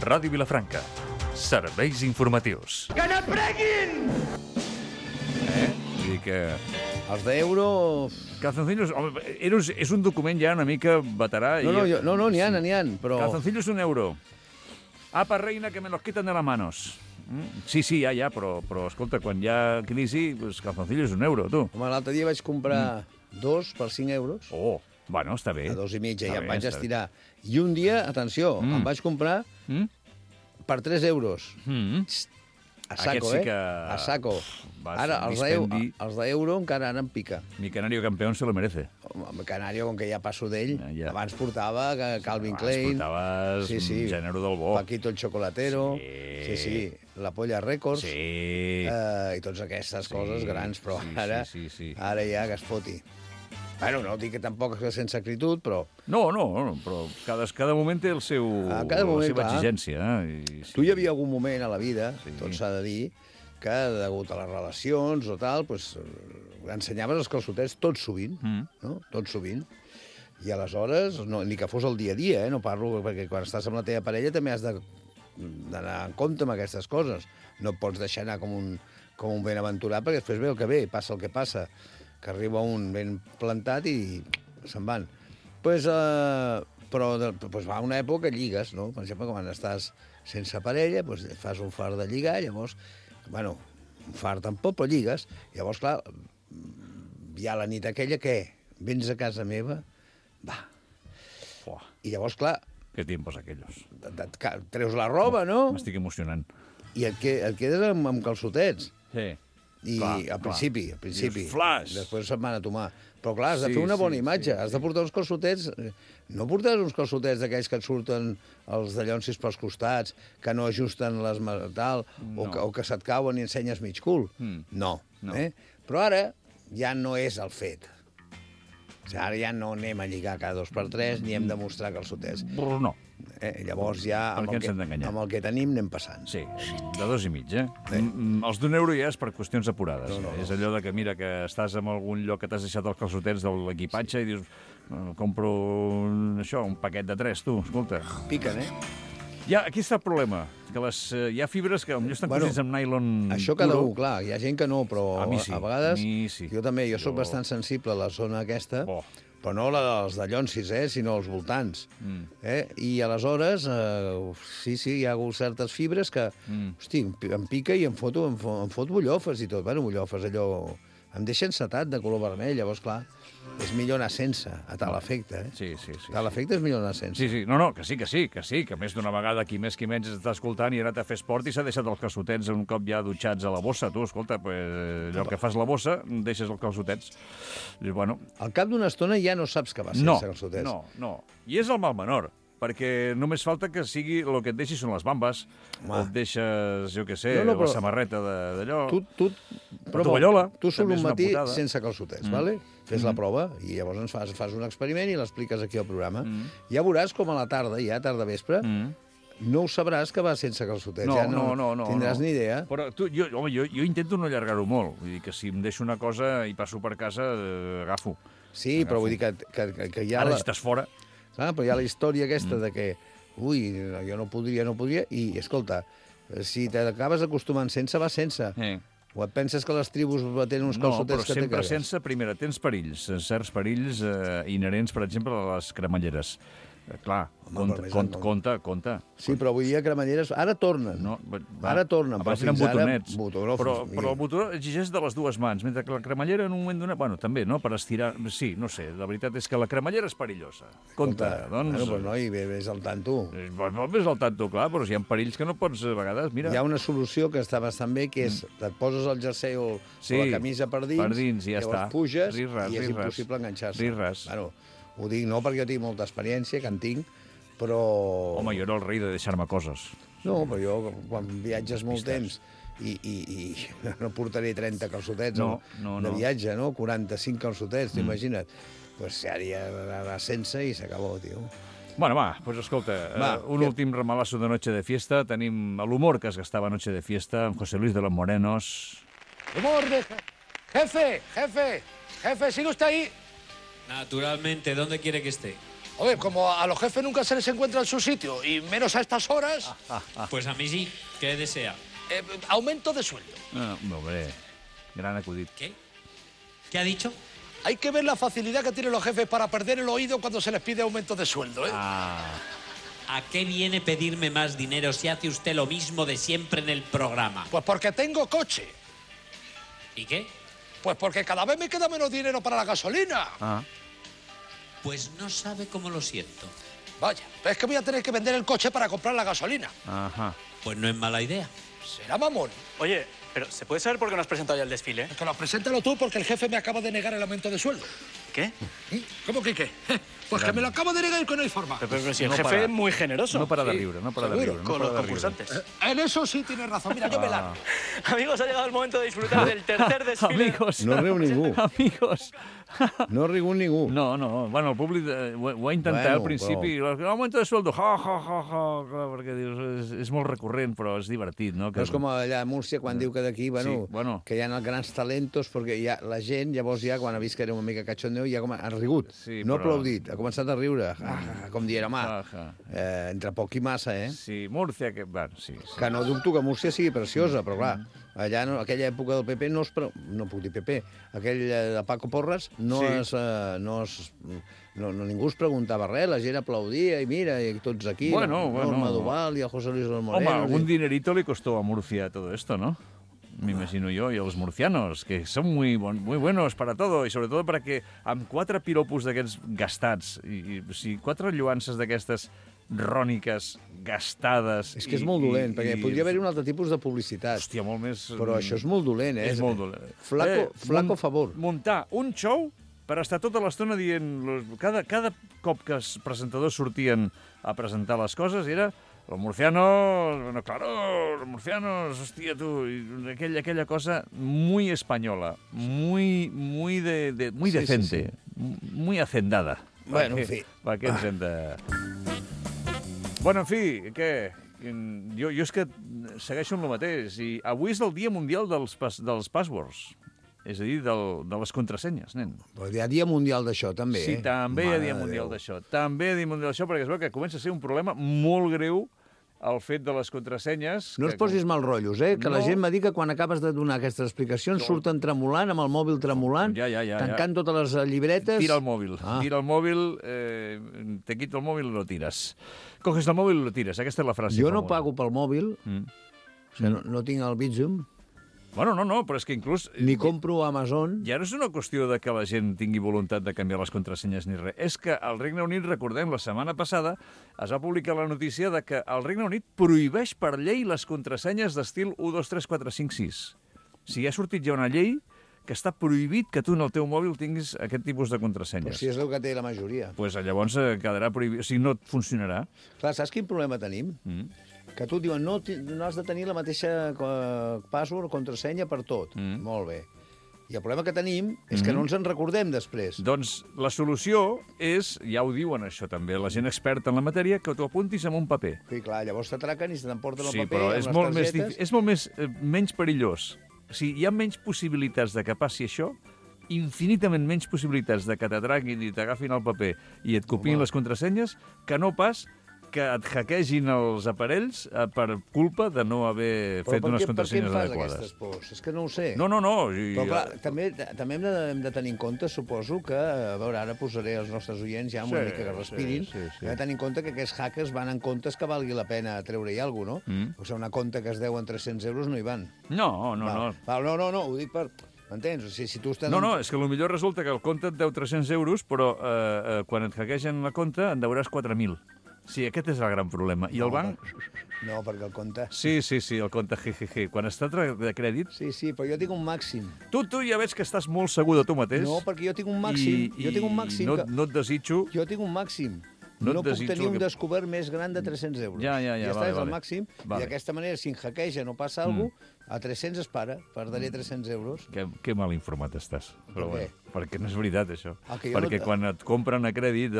K: Ràdio Vilafranca. Serveis informatius.
G: Que n'apreguin!
C: Vull dir que...
D: Els d'euro...
C: Calzoncillos... És un document ja una mica veterà.
D: No, n'hi ha, però...
C: Calzoncillos €1. Apa, reina, que me los quitan de las manos. Sí, ja, però escolta, quan hi ha crisi, pues, calzoncillos €1, tu.
D: Home, l'altre dia vaig comprar 2 per €5.
C: Oh, bueno, està bé.
D: A 2,5, ja em vaig estirar. I un dia, atenció, em vaig comprar per €3. A saco, A saco. Ara, els d'euro encara ara em pica.
C: Mi canario campeón se lo merece.
D: Home, Canario, com que ja passo d'ell, abans portava Calvin Klein.
C: Abans portaves Gènere del Bo.
D: Paquito el Chocolatero. Sí. La Polla Records.
C: Sí.
D: I totes aquestes coses grans, però ara ja que es foti. Bueno, no dic que tampoc és sense acritud, però...
C: No, però cada moment té la seva exigència.
D: Tu hi havia algun moment a la vida, tot s'ha de dir, que degut a les relacions o tal, ensenyaves els calçotets tot sovint, no? Tot sovint. I aleshores, ni que fos el dia a dia, no parlo, perquè quan estàs amb la teva parella també has d'anar en compte amb aquestes coses. No et pots deixar anar com un benaventurat, perquè després ve el que ve, passa el que passa, que arriba un ben plantat i se'n van. Però va una època que lligues, no? Per exemple, quan estàs sense parella, fas un far de lligar, llavors, bueno, un far tampoc, però lligues. Llavors, clar, hi ha la nit aquella que vens a casa meva, va. I llavors, clar...
C: Que tiempos aquellos.
D: Treus la roba, no?
C: M'estic emocionant.
D: I et quedes amb calçotets.
C: Sí.
D: I al principi.
C: Flash.
D: Després se'n van a tomar. Però clar, has de fer una bona imatge. Has de portar uns calçotets... No portaràs uns calçotets d'aquells que et surten els dallonsis pels costats, que no ajusten les tal, o que se't cauen i ensenyes mig cul. No. Però ara ja no és el fet. Ara ja no anem a lligar cada 2x3 ni hem de mostrar calçotets.
C: No.
D: Llavors ja amb el que tenim anem passant.
C: Sí, de 2,5, Els €1 ja és per qüestions apurades. És allò de que, mira, que estàs en algun lloc que t'has deixat els calçotets de l'equipatge i dius, compro un paquet de 3, tu, escolta.
D: Piquen,
C: Aquí està el problema, que hi ha fibres que potser estan cosits amb nylon
D: això cada un, clar, hi ha gent que no, però
C: a
D: vegades jo també, jo soc bastant sensible a la zona aquesta, però no els dallonsis, sinó els voltants. I aleshores, sí, hi ha certes fibres que, hosti, em pica i em fot bullofes i tot. Bueno, bullofes, allò... Em deixa encetat de color vermell, llavors, clar, és millor anar sense, a tal efecte,
C: Sí.
D: Tal efecte és millor anar sense.
C: Sí, que més d'una vegada qui més qui menys està escoltant i ha anat a fer esport i s'ha deixat els calçotets un cop ja dutxats a la bossa. Tu, escolta, allò que fas la bossa, deixes els calçotets. I, bueno...
D: Al cap d'una estona ja no saps que vas sense calçotets.
C: No. I és el mal menor, perquè només falta que sigui el que et deixis són les bambes, o et deixes, jo què sé, la samarreta d'allò, la tovallola.
D: Tu surt un matí sense calçotets, vale? Fes la prova i llavors fas un experiment i l'expliques aquí al programa. Ja veuràs com a la tarda, ja tarda vespre, no ho sabràs que vas sense calçotets. No tindràs ni idea.
C: Però jo intento no allargar-ho molt. Vull dir que si em deixo una cosa i passo per casa, agafo.
D: Sí, però vull dir que ja...
C: Ara si estàs fora...
D: Però hi ha la història aquesta de que, jo no podria, i, escolta, si t'acabes acostumant sense, vas sense. O et penses que les tribus tenen uns calçotets que te cagues?
C: No, però sempre sense, primera, tens perills, certs perills inherents, per exemple, a les cremalleres. Clar, compte.
D: Sí, però avui dia cremalleres... Ara tornen. Ara tornen.
C: Abans eren botonets. Però el botonó exigeix de les dues mans, mentre que la cremallera en un moment donat... Bueno, també, no?, per estirar... Sí, no sé, la veritat és que la cremallera és perillosa. Compte, doncs...
D: Bueno, però noi, ves al tanto.
C: Ves al tanto, clar, però si hi ha perills que no pots, a vegades, mira...
D: Hi ha una solució que està bastant bé, que és et poses el jersei o la camisa per dins,
C: i ja està.
D: Llavors puges i és impossible enganxar-se.
C: Res.
D: Bueno, Ho dic no perquè jo tinc molta experiència, que en tinc, però...
C: Home, jo era el rei de deixar-me coses.
D: No, però jo, quan viatges molt temps i no portaré 30 calçotets de viatge, no? 45 calçotets, t'imagina't. Pues seria anar sense i s'acabó, tio.
C: Bueno, va, pues escolta, un últim remalazo de Noche de Fiesta. Tenim l'humor que es gastava Noche de Fiesta amb José Luis de los Morenos.
A: Humor de... Jefe, ¿sigue usted ahí?
O: Naturalmente, ¿dónde quiere que esté?
A: Oye, como a los jefes nunca se les encuentra en su sitio, y menos a estas horas...
O: Pues a mí sí. ¿Qué desea?
A: Aumento de sueldo.
C: Hombre, gran acudit.
O: ¿Qué? ¿Qué ha dicho?
A: Hay que ver la facilidad que tienen los jefes para perder el oído cuando se les pide aumento de sueldo, ¿eh?
O: ¿A qué viene pedirme más dinero si hace usted lo mismo de siempre en el programa?
A: Pues porque tengo coche.
O: ¿Y qué?
A: Pues porque cada vez me queda menos dinero para la gasolina.
O: Pues no sabe cómo lo siento.
A: Vaya, es que voy a tener que vender el coche para comprar la gasolina.
O: Pues no es mala idea.
A: Será mamón.
P: Oye, pero ¿se puede saber por qué no has presentado ya el desfile?
A: Es que lo preséntalo tú porque el jefe me acaba de negar el aumento de sueldo.
P: ¿Qué?
A: ¿Cómo que qué? Pues que me lo acabo de negar y que no hay forma.
P: Pero si el jefe es muy generoso.
C: No para de riure, no para de riure.
P: Con los concursantes.
A: En eso sí tienes razón. Mira, yo me largo.
P: Amigos, ha llegado el momento de disfrutar del tercer desfile.
C: Amigos.
D: No riu ningú.
C: Amigos.
D: No ha rigut ningú.
C: No. Bueno, el públic ho ha intentat al principi. Aumento de sueldo, perquè dius, és molt recurrent, però és divertit, no?
D: No és com allà a Múrcia, quan diu que d'aquí, que hi ha els grans talentos, perquè la gent, llavors ja, quan ha vist que era una mica cachondeo, ja ha rigut. No ha aplaudit, ha començat a riure. Com dient, home, entre poc i massa, eh?
C: Sí, Múrcia, que... Sí.
D: Que no dubto que Múrcia sigui preciosa, però clar, allà, aquella època del PP no puc dir PP, aquell de Paco Porras, ningú es preguntava res, la gent aplaudia i mira, i tots aquí, Norma Duval i el José Luis de los Morenos.
C: Home, algún dinerito le costó a Murcia todo esto, ¿no? Me imagino yo, y a los murcianos, que son muy buenos para todo, y sobre todo para que amb 4 piropos d'aquests gastats, i 4 lloances d'aquestes ròniques, gastades...
D: És que és molt dolent, perquè podria haver-hi un altre tipus de publicitat.
C: Hòstia, molt més...
D: Però això és molt dolent, eh?
C: És molt dolent.
D: Flaco favor.
C: Muntar un show per estar tota l'estona dient... Cada cop que els presentadors sortien a presentar les coses era... Los murcianos, bueno, claro, los murcianos, hostia, tú, aquella cosa muy española, muy decente, muy hacendada.
D: Bueno, en fi.
C: Va, què ens hem de... Bueno, en fi, què? Jo és que segueixo amb el mateix. I avui és el Dia Mundial dels passwords. És a dir, de les contrasenyes, nen.
D: Però hi ha Dia Mundial d'això, també,
C: Sí, també hi ha Dia Mundial d'això. També hi ha Dia Mundial d'això, perquè es veu que comença a ser un problema molt greu el fet de les contrasenyes...
D: No es posis mal rotllos, eh? Que la gent m'ha dit que quan acabes de donar aquestes explicacions surten tremolant, amb el mòbil tremolant, tancant totes les llibretes...
C: Tira el mòbil, te quito el mòbil i lo tiras. Coges el mòbil i lo tiras, aquesta és la frase.
D: Jo no pago pel mòbil, o sigui, no tinc el Bizum.
C: Bueno, no, però és que inclús...
D: Ni compro a Amazon.
C: Ja no és una qüestió de que la gent tingui voluntat de canviar les contrasenyes ni res. És que al Regne Unit, recordem, la setmana passada es va publicar la notícia de que el Regne Unit prohibeix per llei les contrasenyes d'estil 1, 2, 3, 4, 5, 6. O sigui, ha sortit ja una llei que està prohibit que tu en el teu mòbil tinguis aquest tipus de contrasenyes.
D: Però si és el que té la majoria.
C: Doncs llavors quedarà prohibit, o sigui, no et funcionarà.
D: Clar, saps quin problema tenim? Que tu et diuen, no has de tenir la mateixa password o contrasenya per tot. Molt bé. I el problema que tenim és que no ens en recordem després.
C: Doncs la solució és, ja ho diuen això també, la gent experta en la matèria, que t'ho apuntis en un paper.
D: Sí, clar, llavors t'atraquen i se t'emporten el paper
C: però
D: amb les targetes.
C: És molt menys perillós. O sigui, hi ha menys possibilitats de que passi això, infinitament menys possibilitats de que t'atraquin i t'agafin el paper i et copiïn les contrasenyes, que no pas que et hackegin els aparells per culpa de no haver fet unes contrasenyes adequades.
D: Per què em fas aquestes pors? És que no ho sé.
C: No.
D: Però clar, també hem de tenir en compte, suposo, que, a veure, ara posaré els nostres oients ja una mica que respirin, hem de tenir en compte que aquests hackers van en comptes que valgui la pena treure-hi alguna cosa, no? O sigui, una compte que es deu en 300 euros no hi van.
C: No,
D: ho dic per... M'entens? O sigui, si tu estàs...
C: No, és que potser resulta que el compte et deu 300 euros, però quan et hackegen la compte en deuràs 4.000. Sí, aquest és el gran problema. I el banc...
D: No, perquè el compte...
C: Sí, el compte jejeje. Quan està de crèdit...
D: Sí, però jo tinc un màxim.
C: Tu ja veig que estàs molt segur de tu mateix.
D: No, perquè jo tinc un màxim.
C: I no et desitjo...
D: Jo tinc un màxim. No puc tenir un descobert més gran de 300 euros.
C: Ja,
D: està, és el màxim. I d'aquesta manera, si en hackeja no passa alguna cosa, a 300 es para, perdaré 300 euros.
C: Que mal informat estàs. Però
D: per què?
C: Perquè no és veritat, això. Perquè quan et compren a crèdit,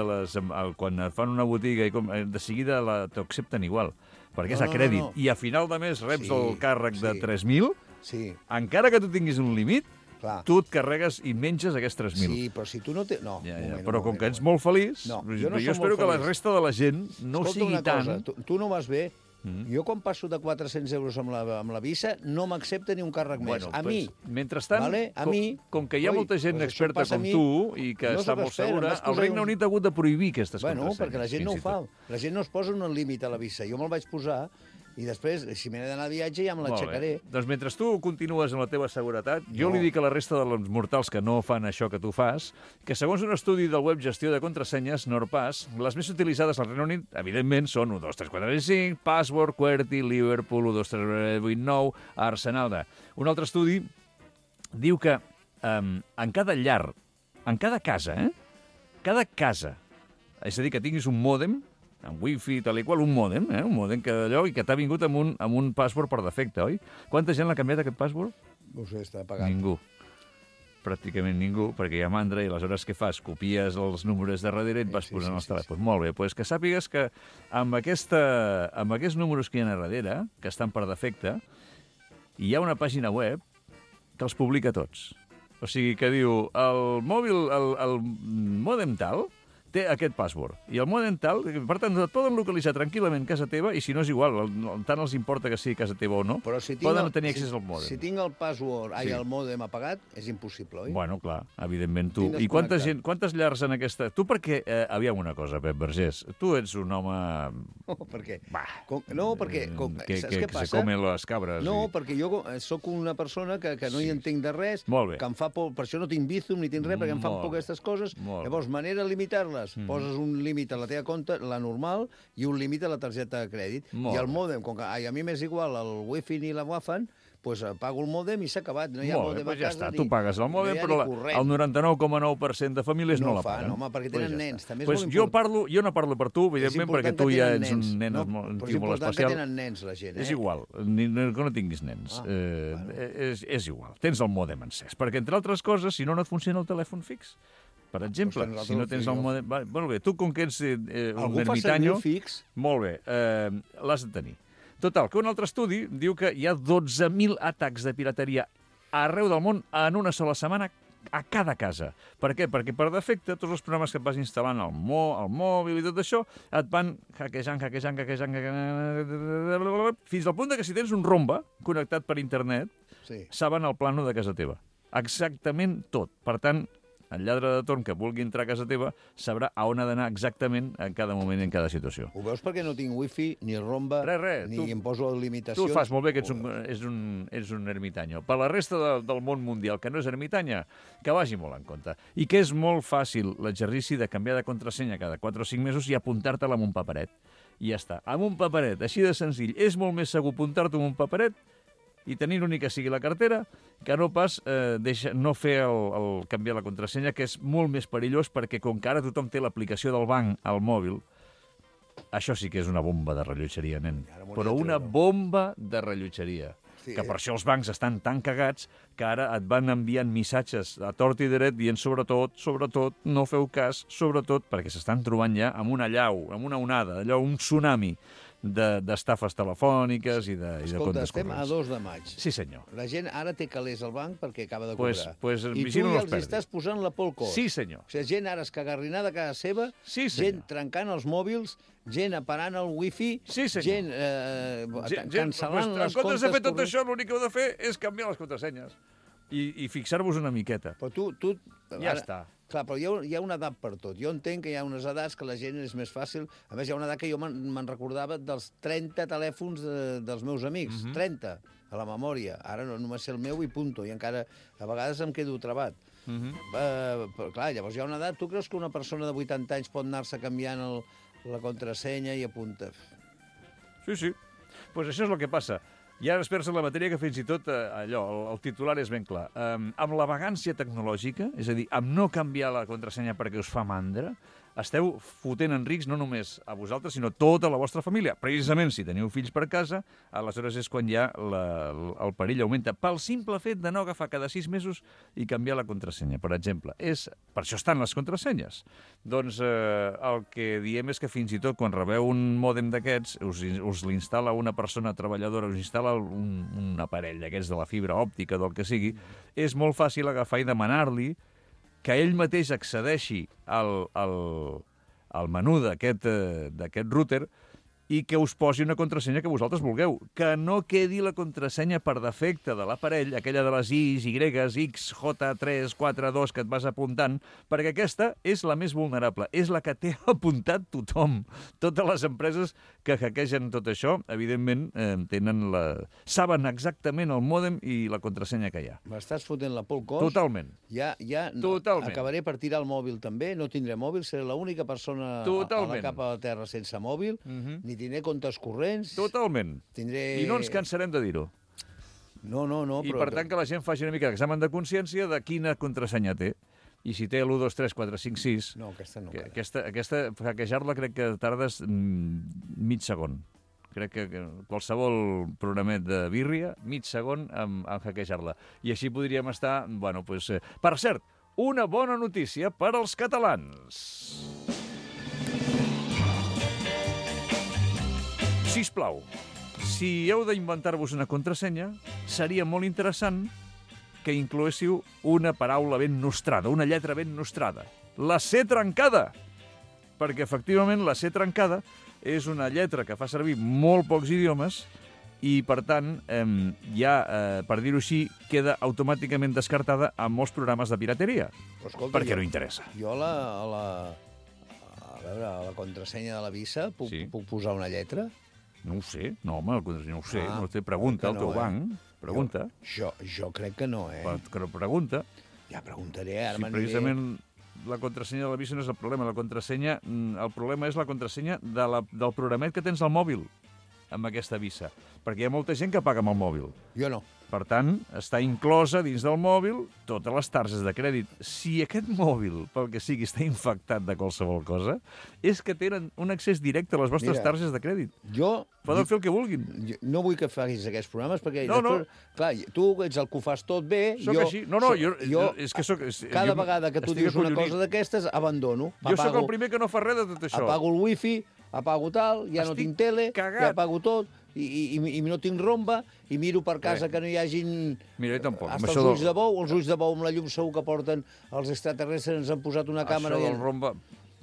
C: quan et fan una botiga, de seguida t'ho accepten igual. Perquè és a crèdit. I a final de mes reps el càrrec de 3.000, encara que tu tinguis un límit, tu et carregues i menges aquests 3.000.
D: Sí, però si tu no té... No,
C: però com que ets molt feliç, jo espero que la resta de la gent no sigui tant...
D: Tu no vas bé. Jo quan passo de 400 euros amb la Visa no m'accepta ni un càrrec més. A mi.
C: Mentrestant, com que hi ha molta gent experta com tu i que està molt segura, el Regne Unit ha hagut de prohibir aquestes contrasenyes.
D: Perquè la gent no ho fa. La gent no es posa un límit a la Visa. Jo me'l vaig posar i després, si m'he d'anar a viatge, ja me l'aixecaré.
C: Doncs mentre tu continues amb la teva seguretat, jo li dic a la resta dels mortals que no fan això que tu fas, que segons un estudi del web Gestió de Contrasenyes, NordPass, les més utilitzades al Regne Unit, evidentment, són 1, 2, 3, 4, 5, Password, QWERTY, Liverpool, 1, 2, 3, 8, 9, Arsenal. Un altre estudi diu que en cada llar, en cada casa, cada casa, és a dir, que tinguis un mòdem, amb wifi, tal i qual, un mòdem que d'allò i que t'ha vingut amb un password per defecte, oi? Quanta gent l'ha canviat, aquest password?
D: No sé, està pagat.
C: Ningú. Pràcticament ningú, perquè hi ha mandra i aleshores què fas? Copies els números de darrere i et vas posant els telèfons. Molt bé, doncs que sàpigues que amb aquests números que hi ha a darrere, que estan per defecte, hi ha una pàgina web que els publica tots. O sigui, que diu, el mòdem tal té aquest password. I el mòdem tal, per tant, et poden localitzar tranquil·lament casa teva i si no és igual, tant els importa que sigui casa teva o no, poden tenir accés al mòdem.
D: Si tinc el password, el mòdem apagat, és impossible, oi?
C: Bueno, clar, evidentment tu. I quantes llars en aquesta... Tu perquè... aviam una cosa, Pep Vergés. Tu ets un home...
D: Per què? No, perquè... Saps què passa?
C: Que se comen les cabres.
D: No, perquè jo sóc una persona que no hi entenc de res, que em fa por... Per això no tinc Bizum ni tinc res, perquè em fan por aquestes coses. Llavors, manera de limitar-les, poses un límit a la teva compte, la normal, i un límit a la targeta de crèdit. I el mòdem, com que a mi m'és igual el wifi ni la Wi-Fi, doncs pago el mòdem i s'ha acabat. No hi ha mòdem a casa.
C: Ja està, tu pagues el mòdem, però el 99,9% de famílies no la paguen.
D: No fa, home, perquè tenen nens.
C: Jo no parlo per tu, evidentment, perquè tu ja ets un nen molt especial.
D: Però és important que tenen nens, la gent.
C: És igual, que no tinguis nens. És igual, tens el mòdem encès. Perquè, entre altres coses, si no et funciona el telèfon fix. Per exemple, si no tens el mòdem... Molt bé, tu com que ets un ermitanyo... Molt bé, l'has de tenir. Total, que un altre estudi diu que hi ha 12.000 atacs de pirateria arreu del món en una sola setmana a cada casa. Per què? Perquè per defecte tots els programes que et vas instal·lant al mòbil i tot això et van hackejant, fins al punt que si tens un romba connectat per internet, saben el plano de casa teva. Exactament tot. Per tant, el lladre de torn que vulgui entrar a casa teva sabrà a on ha d'anar exactament en cada moment i en cada situació.
D: Ho veus perquè no tinc wifi, ni romba, ni em poso limitacions?
C: Tu fas molt bé que ets un ermitanyo. Per la resta del món mundial que no és ermitanya, que vagi molt en compte. I que és molt fàcil l'exercici de canviar de contrasenya cada 4 o 5 mesos i apuntar-te-la amb un paperet. I ja està. Amb un paperet, així de senzill. És molt més segur apuntar-te amb un paperet i tenir l'únic que sigui la cartera, que no pas no fer el canviar la contrasenya, que és molt més perillós perquè com que ara tothom té l'aplicació del banc al mòbil, això sí que és una bomba de rellotgeria, nen. Però una bomba de rellotgeria. Que per això els bancs estan tan cagats que ara et van enviant missatges a tort i dret dient sobretot, no feu cas, sobretot perquè s'estan trobant ja amb una allau, amb una onada, allò, un tsunami d'estafes telefòniques i de comptes corrents.
D: Estem a 2 de maig.
C: Sí, senyor.
D: La gent ara té calés al banc perquè acaba de cobrar.
C: I
D: tu ja els estàs posant la por al cos.
C: Sí, senyor.
D: O sigui, gent ara escagarrinada a casa seva, gent trencant els mòbils, gent aparant el wifi, gent cancel·lant les comptes...
C: En comptes de fer tot això, l'únic que heu de fer és canviar les contrasenyes i fixar-vos una miqueta.
D: Però tu...
C: Ja està.
D: Clar, però hi ha una edat per tot. Jo entenc que hi ha unes edats que la gent és més fàcil. A més, hi ha una edat que jo me'n recordava dels 30 telèfons dels meus amics. 30, a la memòria. Ara només sé el meu i punto. I encara a vegades em quedo trabat. Però, clar, llavors hi ha una edat... Tu creus que una persona de 80 anys pot anar-se canviant la contrasenya i apunta.
C: Sí. Pues això és el que passa. Hi ha experts en la matèria que fins i tot allò, el titular és ben clar. Amb la vagància tecnològica, és a dir, amb no canviar la contrasenya perquè us fa mandra, esteu fotent en risc no només a vosaltres, sinó tota la vostra família. Precisament, si teniu fills per casa, aleshores és quan ja el perill augmenta. Pel simple fet de no agafar cada 6 mesos i canviar la contrasenya, per exemple. Per això estan les contrasenyes. Doncs el que diem és que fins i tot quan rebeu un mòdem d'aquests, us l'instal·la una persona treballadora, us instal·la un aparell d'aquests de la fibra òptica, del que sigui, és molt fàcil agafar i demanar-li que ell mateix accedeixi al menú d'aquest router i que us posi una contrasenya que vosaltres vulgueu. Que no quedi la contrasenya per defecte de l'aparell, aquella de les I's, Y, X, J, 3, 4, 2 que et vas apuntant, perquè aquesta és la més vulnerable, és la que té apuntat tothom. Totes les empreses que hackegen tot això, evidentment, saben exactament el mòdem i la contrasenya que hi ha.
D: M'estàs fotent la por al cos?
C: Totalment.
D: Totalment. Acabaré per tirar el mòbil també, no tindré mòbil, seré l'única persona a la capa de la Terra sense mòbil, ni tindré comptes corrents.
C: Totalment. I no ens cansarem de dir-ho.
D: No.
C: I per tant que la gent faci una mica d'examen de consciència de quina contrasenya té. I si té l'1, 2, 3, 4, 5, 6...
D: No, aquesta no.
C: Aquesta hackejar-la crec que tardes mig segon. Crec que qualsevol programet de birria, mig segon en hackejar-la. I així podríem estar... Bueno, doncs... Per cert, una bona notícia per als catalans. Sisplau, si heu d'inventar-vos una contrasenya, seria molt interessant que incloéssiu una paraula ben nostrada, una lletra ben nostrada. La C trencada! Perquè, efectivament, la C trencada és una lletra que fa servir molt pocs idiomes i, per tant, ja, per dir-ho així, queda automàticament descartada en molts programes de pirateria.
D: Escolta,
C: perquè no interessa.
D: Jo a la contrasenya de la Visa puc posar una lletra?
C: No ho sé, no, home, no ho sé. No té pregunta al teu banc. Pregunta.
D: Jo crec que no,
C: Però pregunta.
D: Ja preguntaré, ara
C: si precisament la contrasenya de la Visa no és el problema. El problema és la contrasenya del programet que tens al mòbil amb aquesta Visa. Perquè hi ha molta gent que paga amb el mòbil.
D: Jo no.
C: Per tant, està inclosa dins del mòbil totes les targes de crèdit. Si aquest mòbil, pel que sigui, està infectat de qualsevol cosa, és que tenen un accés directe a les vostres targes de crèdit. Poden fer el que vulguin.
D: No vull que facis aquests programes, perquè després... Clar, tu ets el que ho fas tot bé.
C: Soc així. Jo és que soc...
D: Cada vegada que tu dius una cosa d'aquestes, abandono.
C: Jo sóc el primer que no fa res de tot això.
D: Apago el wifi, apago tal, ja no tinc tele, ja apago tot... I no tinc romba, i miro per casa que no hi hagin...
C: Mira, jo tampoc.
D: Hasta els ulls de bou, amb la llum segur que porten els extraterrestres, ens han posat una càmera...
C: Això del romba...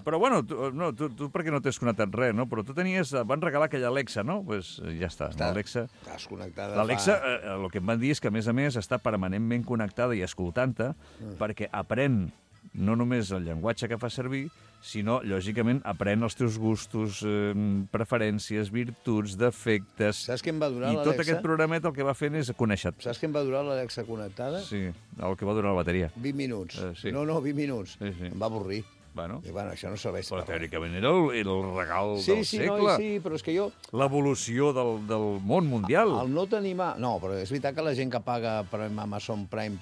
C: Però, bueno, tu perquè no t'has connectat res, no? Però tu van regalar aquella Alexa, no? Doncs ja està.
D: Estàs connectada.
C: L'Alexa, el que em van dir és que, a més, està permanentment connectada i escoltant-te perquè aprèn no només el llenguatge que fa servir, sinó, lògicament, aprèn els teus gustos, preferències, virtuts, defectes...
D: Saps què em va durar l'Alexa?
C: I tot aquest programet el que va fent és conèixer-te.
D: Saps què em va durar l'Alexa connectada?
C: Sí, el que va durar la bateria.
D: 20 minuts. No, 20 minuts. Em va avorrir. I, això no serveix per res.
C: Però teòricament era el regal del segle.
D: Sí, però és que jo...
C: L'evolució del món mundial.
D: El no tenir mà... No, però és veritat que la gent que paga per Amazon Prime,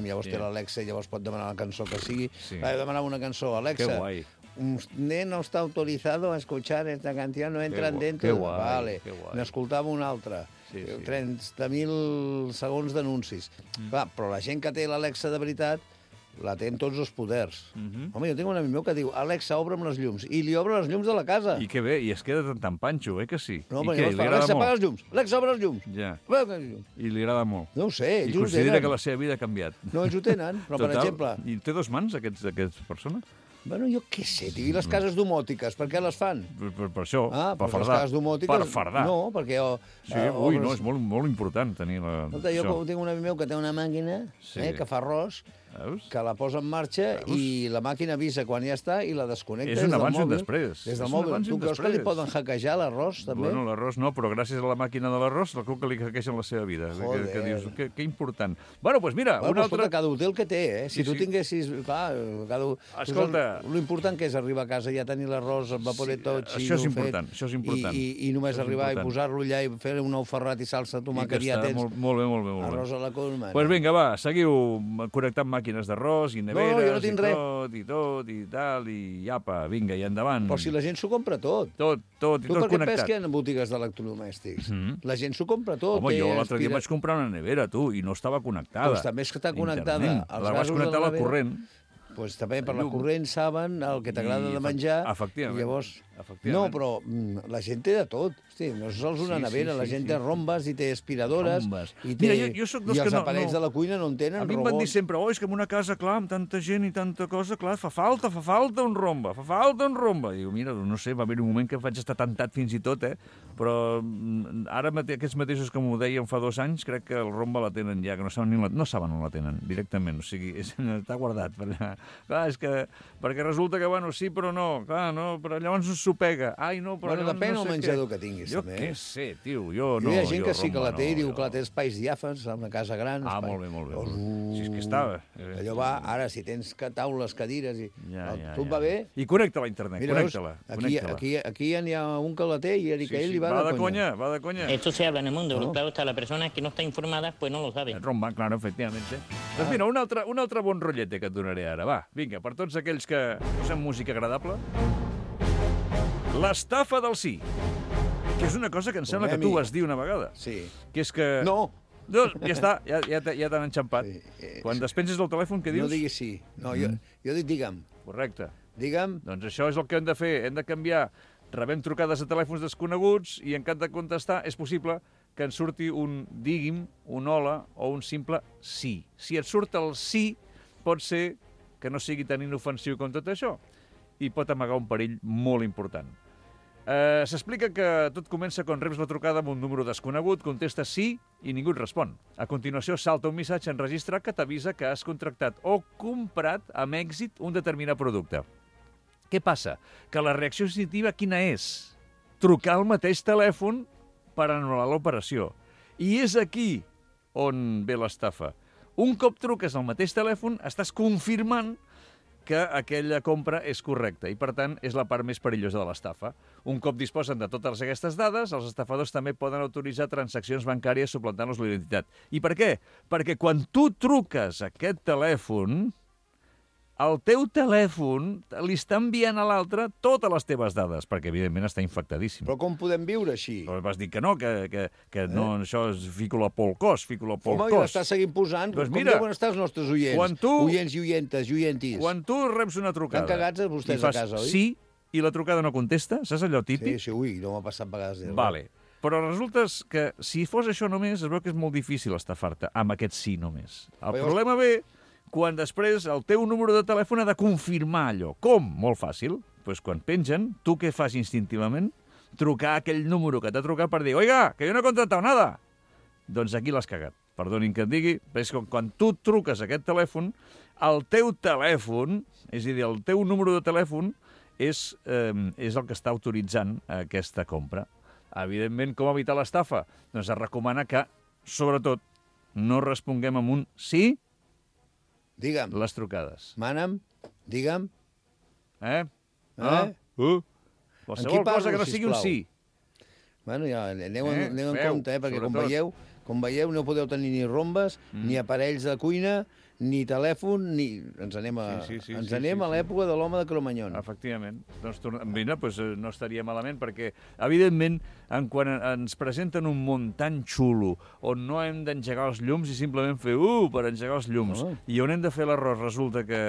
D: llavors té l'Alexa, llavors pot demanar la cançó que sigui. Demanar una cançó, Alexa.
C: Que guai.
D: Usted no está autorizado a escuchar esta canción, no entran dentro. Vale, n'escoltava una altra. 30.000 segons d'anuncis. Però la gent que té l'Alexa de veritat la té amb tots els poders. Home, jo tinc un amic meu que diu Alexa, obre'm les llums. I li obre les llums de la casa.
C: I que bé, i es queda tan panxo, que sí?
D: No, home, Alexa, apaga les llums. Alexa, obre les llums.
C: Ja. I li agrada molt.
D: No ho sé,
C: ells ho tenen. I considera que la seva vida ha canviat.
D: No, ells ho tenen, però per exemple...
C: I té 2 mans, aquesta persona?
D: Bueno, jo què sé, i les cases domòtiques, per què les fan?
C: Per això, per fardar.
D: Les cases domòtiques...
C: Per fardar.
D: No, perquè...
C: No, és molt important tenir
D: jo tinc un amic meu que té una màquina que fa arròs que la posa en marxa i la màquina avisa quan ja està i la desconnecta
C: És
D: des
C: un
D: del
C: abans i un
D: mòbil.
C: després.
D: Des del
C: És un
D: mòbil.
C: abans i
D: Tu
C: un
D: creus que li
C: després.
D: poden hackejar l'arròs, també?
C: Bueno, l'arròs no, però gràcies a la màquina de l'arròs, segur que li hackejen la seva vida.
D: Joder.
C: Que dius, que important. Bueno, doncs mira,
D: Bueno,
C: una
D: escolta,
C: altra...
D: cada hotel que té, eh? Si
C: Sí,
D: tu
C: sí.
D: tinguessis... Clar,
C: Escolta.
D: L'important que és arribar a casa, ja tenir l'arròs, el vaporet tot,
C: això és important, això és important.
D: I només
C: Això és
D: arribar
C: important.
D: i posar-lo allà i fer un ou ferrat i salsa de tomàquet, ja tens
C: Molt bé, molt bé. Molt bé.
D: arròs a la colma.
C: Doncs pues vinga, va, seguiu connectant màquines d'arròs i neveres
D: jo no tinc
C: i
D: res.
C: tot, i tal, i apa, vinga, i endavant.
D: Però si la gent s'ho compra tot.
C: Tot, i
D: Tu
C: tot
D: per què
C: connectat.
D: penses que hi ha botigues d'electrodomèstics? La gent s'ho compra tot.
C: Home,
D: té
C: jo l'altre dia
D: aspira-
C: vaig comprar una nevera, tu, i no estava connectada.
D: Doncs també és que està connectada
C: Internet.
D: als
C: La vaig
D: gasos
C: connectar
D: de
C: a
D: la
C: la
D: nevera.
C: corrent.
D: Doncs també per la
C: Llum.
D: corrent saben el que t'agrada
C: I
D: de menjar.
C: efectivament.
D: I llavors...
C: Efectivament.
D: No, però la gent té de tot. Hosti, no és sols una
C: Sí,
D: nevera,
C: sí,
D: la
C: sí,
D: gent
C: sí.
D: té rombes i té aspiradores.
C: Rombes.
D: I, té...
C: Mira, jo soc dels
D: I
C: que
D: els
C: no-
D: aparells de la cuina no en tenen
C: A mi em van dir
D: robot.
C: sempre, és que en una casa, clar, amb tanta gent i tanta cosa, clar, fa falta un romba, fa falta un romba. Diu, mira, no sé, va haver un moment que vaig estar tentat fins i tot, però ara aquests mateixos que m'ho deien fa 2 anys, crec que el romba la tenen ja, que no saben on la tenen, directament, o sigui, està guardat per allà. Clar, és que, perquè resulta que, bueno, sí, però no, clar, no, però llavors s'ho pega. Ai, no, però
D: Bueno,
C: llavors
D: depèn
C: no
D: el
C: sé
D: menjador
C: què.
D: que tinguis,
C: Jo
D: també.
C: què sé, tio, jo no.
D: Hi ha gent que sí que
C: romba
D: la té i
C: no,
D: diu que la té espais diàfans, en una casa gran.
C: Ah,
D: espai.
C: molt bé, molt bé.
D: Llavors,
C: Si és que estava.
D: Allò va, ara, si tens taules, cadires, i tu et va bé...
C: I connecta-la a internet,
D: Mira,
C: connecta-la.
D: aquí ja n'hi ha un que la té i que ell li va
C: va
D: de conya.
C: Va de conya.
Q: Esto se habla en el mundo, claro está, la persona que no está informada pues no lo sabe.
C: Romba, claro, efectivamente. Doncs mira, un altre bon rotllete que et donaré ara. Va, vinga, per tots aquells que posem música agradable. L'estafa del sí. Que és una cosa que em sembla que tu vas dir una vegada.
D: Sí.
C: Que és que...
D: No.
C: No, ja està, ja t'han enxampat. Quan despenses el telèfon, què dius?
D: No diguis sí. No, jo dic digue'm.
C: Correcte.
D: Digue'm.
C: Doncs això és el que hem de fer. Hem de canviar. Rebem trucades de telèfons desconeguts i en cap de contestar és possible que ens surti un digui'm, un hola o un simple sí. Si et surt el sí, pot ser que no sigui tan inofensiu com tot això i pot amagar un perill molt important. S'explica que tot comença quan reps la trucada amb un número desconegut, contestes sí i ningú et respon. A continuació salta un missatge enregistrat que t'avisa que has contractat o comprat amb èxit un determinat producte. Què passa? Que la reacció instintiva quina és? Trucar al mateix telèfon per anul·lar l'operació. I és aquí on ve l'estafa. Un cop truques al mateix telèfon, estàs confirmant que aquella compra és correcta i, per tant, és la part més perillosa de l'estafa. Un cop disposen de totes aquestes dades, els estafadors també poden autoritzar transaccions bancàries suplantant-los la identitat. I per què? Perquè quan tu truques a aquest telèfon, el teu telèfon li està enviant a l'altre totes les teves dades, perquè, evidentment, està infectadíssim.
D: Però com podem viure així?
C: Però vas dir que no, que no, això és fico-la Pol Cos, fico-la Pol
D: Home,
C: Cos.
D: i l'estàs seguint posant.
C: Doncs
D: Com
C: mira,
D: deuen estar els nostres oients? Oients i oientes, oientis.
C: Quan tu reps una trucada...
D: Estan cagats vostès
C: i fas
D: a casa, oi?
C: sí, i la trucada no contesta, saps allò típic?
D: Sí, ui, no m'ha passat vegades.
C: Vale. Però resulta que si fos això només, es veu que és molt difícil estafar-te amb aquest sí només. El problema ve quan després el teu número de telèfon ha de confirmar allò. Com? Molt fàcil. Pues quan pengen, tu què fas instintivament? Trucar a aquell número que t'ha trucat per dir «Oiga, que jo no he contratat nada!» Doncs aquí l'has cagat. Perdonin que et digui, però és que quan tu truques a aquest telèfon, el teu telèfon, és a dir, el teu número de telèfon, és el que està autoritzant aquesta compra. Evidentment, com evitar l'estafa? Doncs es recomana que, sobretot, no responguem amb un sí.
D: Digue'm.
C: Les trucades.
D: Mana'm, digue'm.
C: Qualsevol cosa que no sigui un sí.
D: Bueno, ja aneu en compte, perquè com veieu no podeu tenir ni rombes, ni aparells de cuina, ni telèfon, ni... Ens anem a l'època de l'home de Cromanyon.
C: Efectivament. Doncs, mira, no estaria malament, perquè, evidentment, quan ens presenten un món tan xulo, on no hem d'engegar els llums i simplement fer per engegar els llums, i on hem de fer l'arròs resulta que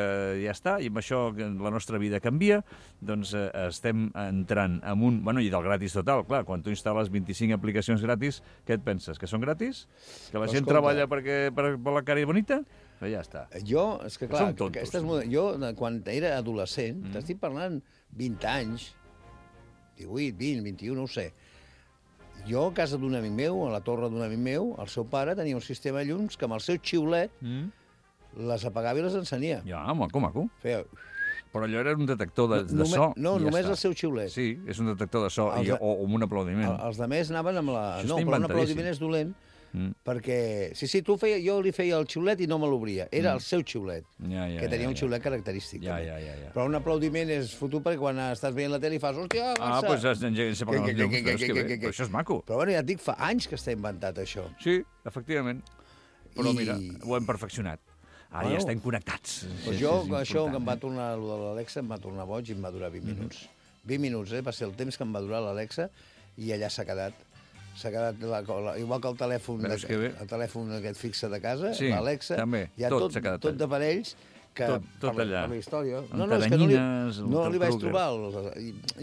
C: ja està, i amb això la nostra vida canvia, doncs estem entrant en un... Bueno, i del gratis total, clar, quan tu instal·les 25 aplicacions gratis, què et penses? Que són gratis? Que la gent treballa per la cara bonita? Però ja està.
D: Jo, és que clar, jo quan era adolescent, t'estic parlant 20 anys, 18, 20, 21, no ho sé, jo a casa d'un amic meu, a la torre d'un amic meu, el seu pare tenia un sistema de llums que amb el seu xiulet les apagava i les encenia.
C: Ja, maco.
D: Feia...
C: Però allò era un detector de so.
D: No,
C: i ja
D: només
C: està.
D: el seu xiulet.
C: Sí, és un detector de so o amb un aplaudiment.
D: Els altres anaven amb la...
C: Això
D: No,
C: està
D: però un aplaudiment
C: inventadíssim.
D: és dolent, perquè... Sí, jo li feia el xiulet i no me l'obria. Era el seu xiulet, que tenia un xiulet característic.
C: Ja.
D: Però un aplaudiment és fotut perquè quan estàs veient la tele i fas, hòstia, Barça!
C: Doncs s'apaguen els llums, però és que bé, però això és maco.
D: Però bueno, ja et dic, fa anys que està inventat, això.
C: Sí, efectivament. Però mira, ho hem perfeccionat. Ara ja estem connectats.
D: Doncs jo, això que em va tornar, el de l'Alexa, em va tornar boig i em va durar 20 minuts. 20 minuts, va ser el temps que em va durar l'Alexa i allà s'ha quedat. S'ha quedat igual que el telèfon aquest fixe de casa, l'Alexa, hi ha tot d'aparells que
C: tot allà.
D: per la història.
C: No, és que
D: no li vaig trobar.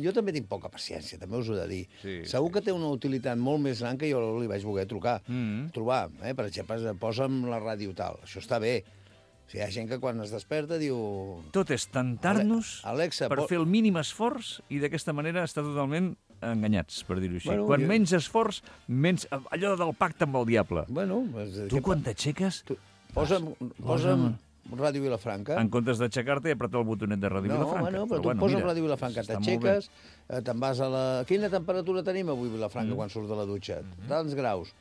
D: Jo també tinc poca paciència, també us ho he de dir. Segur que té una utilitat molt més gran que jo li vaig voler trobar. Per exemple, posa'm la ràdio tal. Això està bé. O sigui, hi ha gent que quan es desperta diu...
C: Tot és tentar-nos per fer el mínim esforç i d'aquesta manera està totalment enganyats, per dir-ho així. Quan menys esforç, menys... Allò del pacte amb el diable. Tu quan t'aixeques...
D: Posa'm Ràdio Vilafranca.
C: En comptes d'aixecar-te i apretar el botonet de Ràdio Vilafranca.
D: No, però tu poses Ràdio Vilafranca, t'aixeques, te'n vas a la... Quina temperatura tenim avui a Vilafranca quan surts de la dutxa? Tants graus.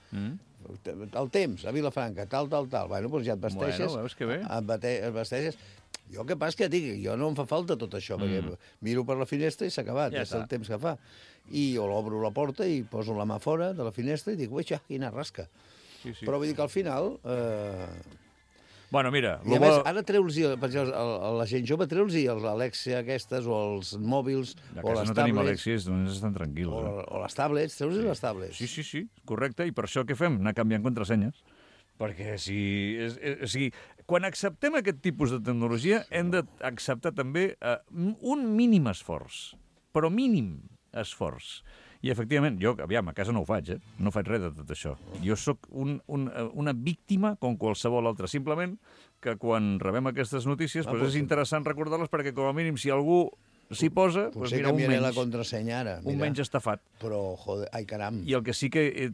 D: El temps, a Vilafranca, tal. Bueno, doncs ja et vesteixes.
C: Bueno, veus que bé.
D: Et vesteixes. Jo el que passa que dic, jo no em fa falta tot això, perquè miro per la finestra i s'ha acabat, és el temps que fa. I jo l'obro la porta i poso la mà fora de la finestra i dic, ui, quina rasca. Però vull dir que al final...
C: Bueno, mira...
D: I a més, ara treu-los, per exemple, a la gent jove, treu-los els Alexia aquestes, o els mòbils, o les tablets...
C: no tenim Alexies, doncs estan tranquils.
D: O les tablets, treu-los les tablets.
C: Sí, correcte. I per això què fem? Anar canviant contrasenyes. Perquè quan acceptem aquest tipus de tecnologia hem d'acceptar també un mínim esforç, però mínim esforç. I, efectivament, jo, aviam, a casa no ho faig, no faig res de tot això. Jo sóc una víctima com qualsevol altra. Simplement que quan rebem aquestes notícies és interessant recordar-les perquè, com a mínim, si algú s'hi posa, doncs mira, un menys.
D: La contrasenya ara.
C: Un menys estafat.
D: Però, joder, ai, caram.
C: I el que sí que he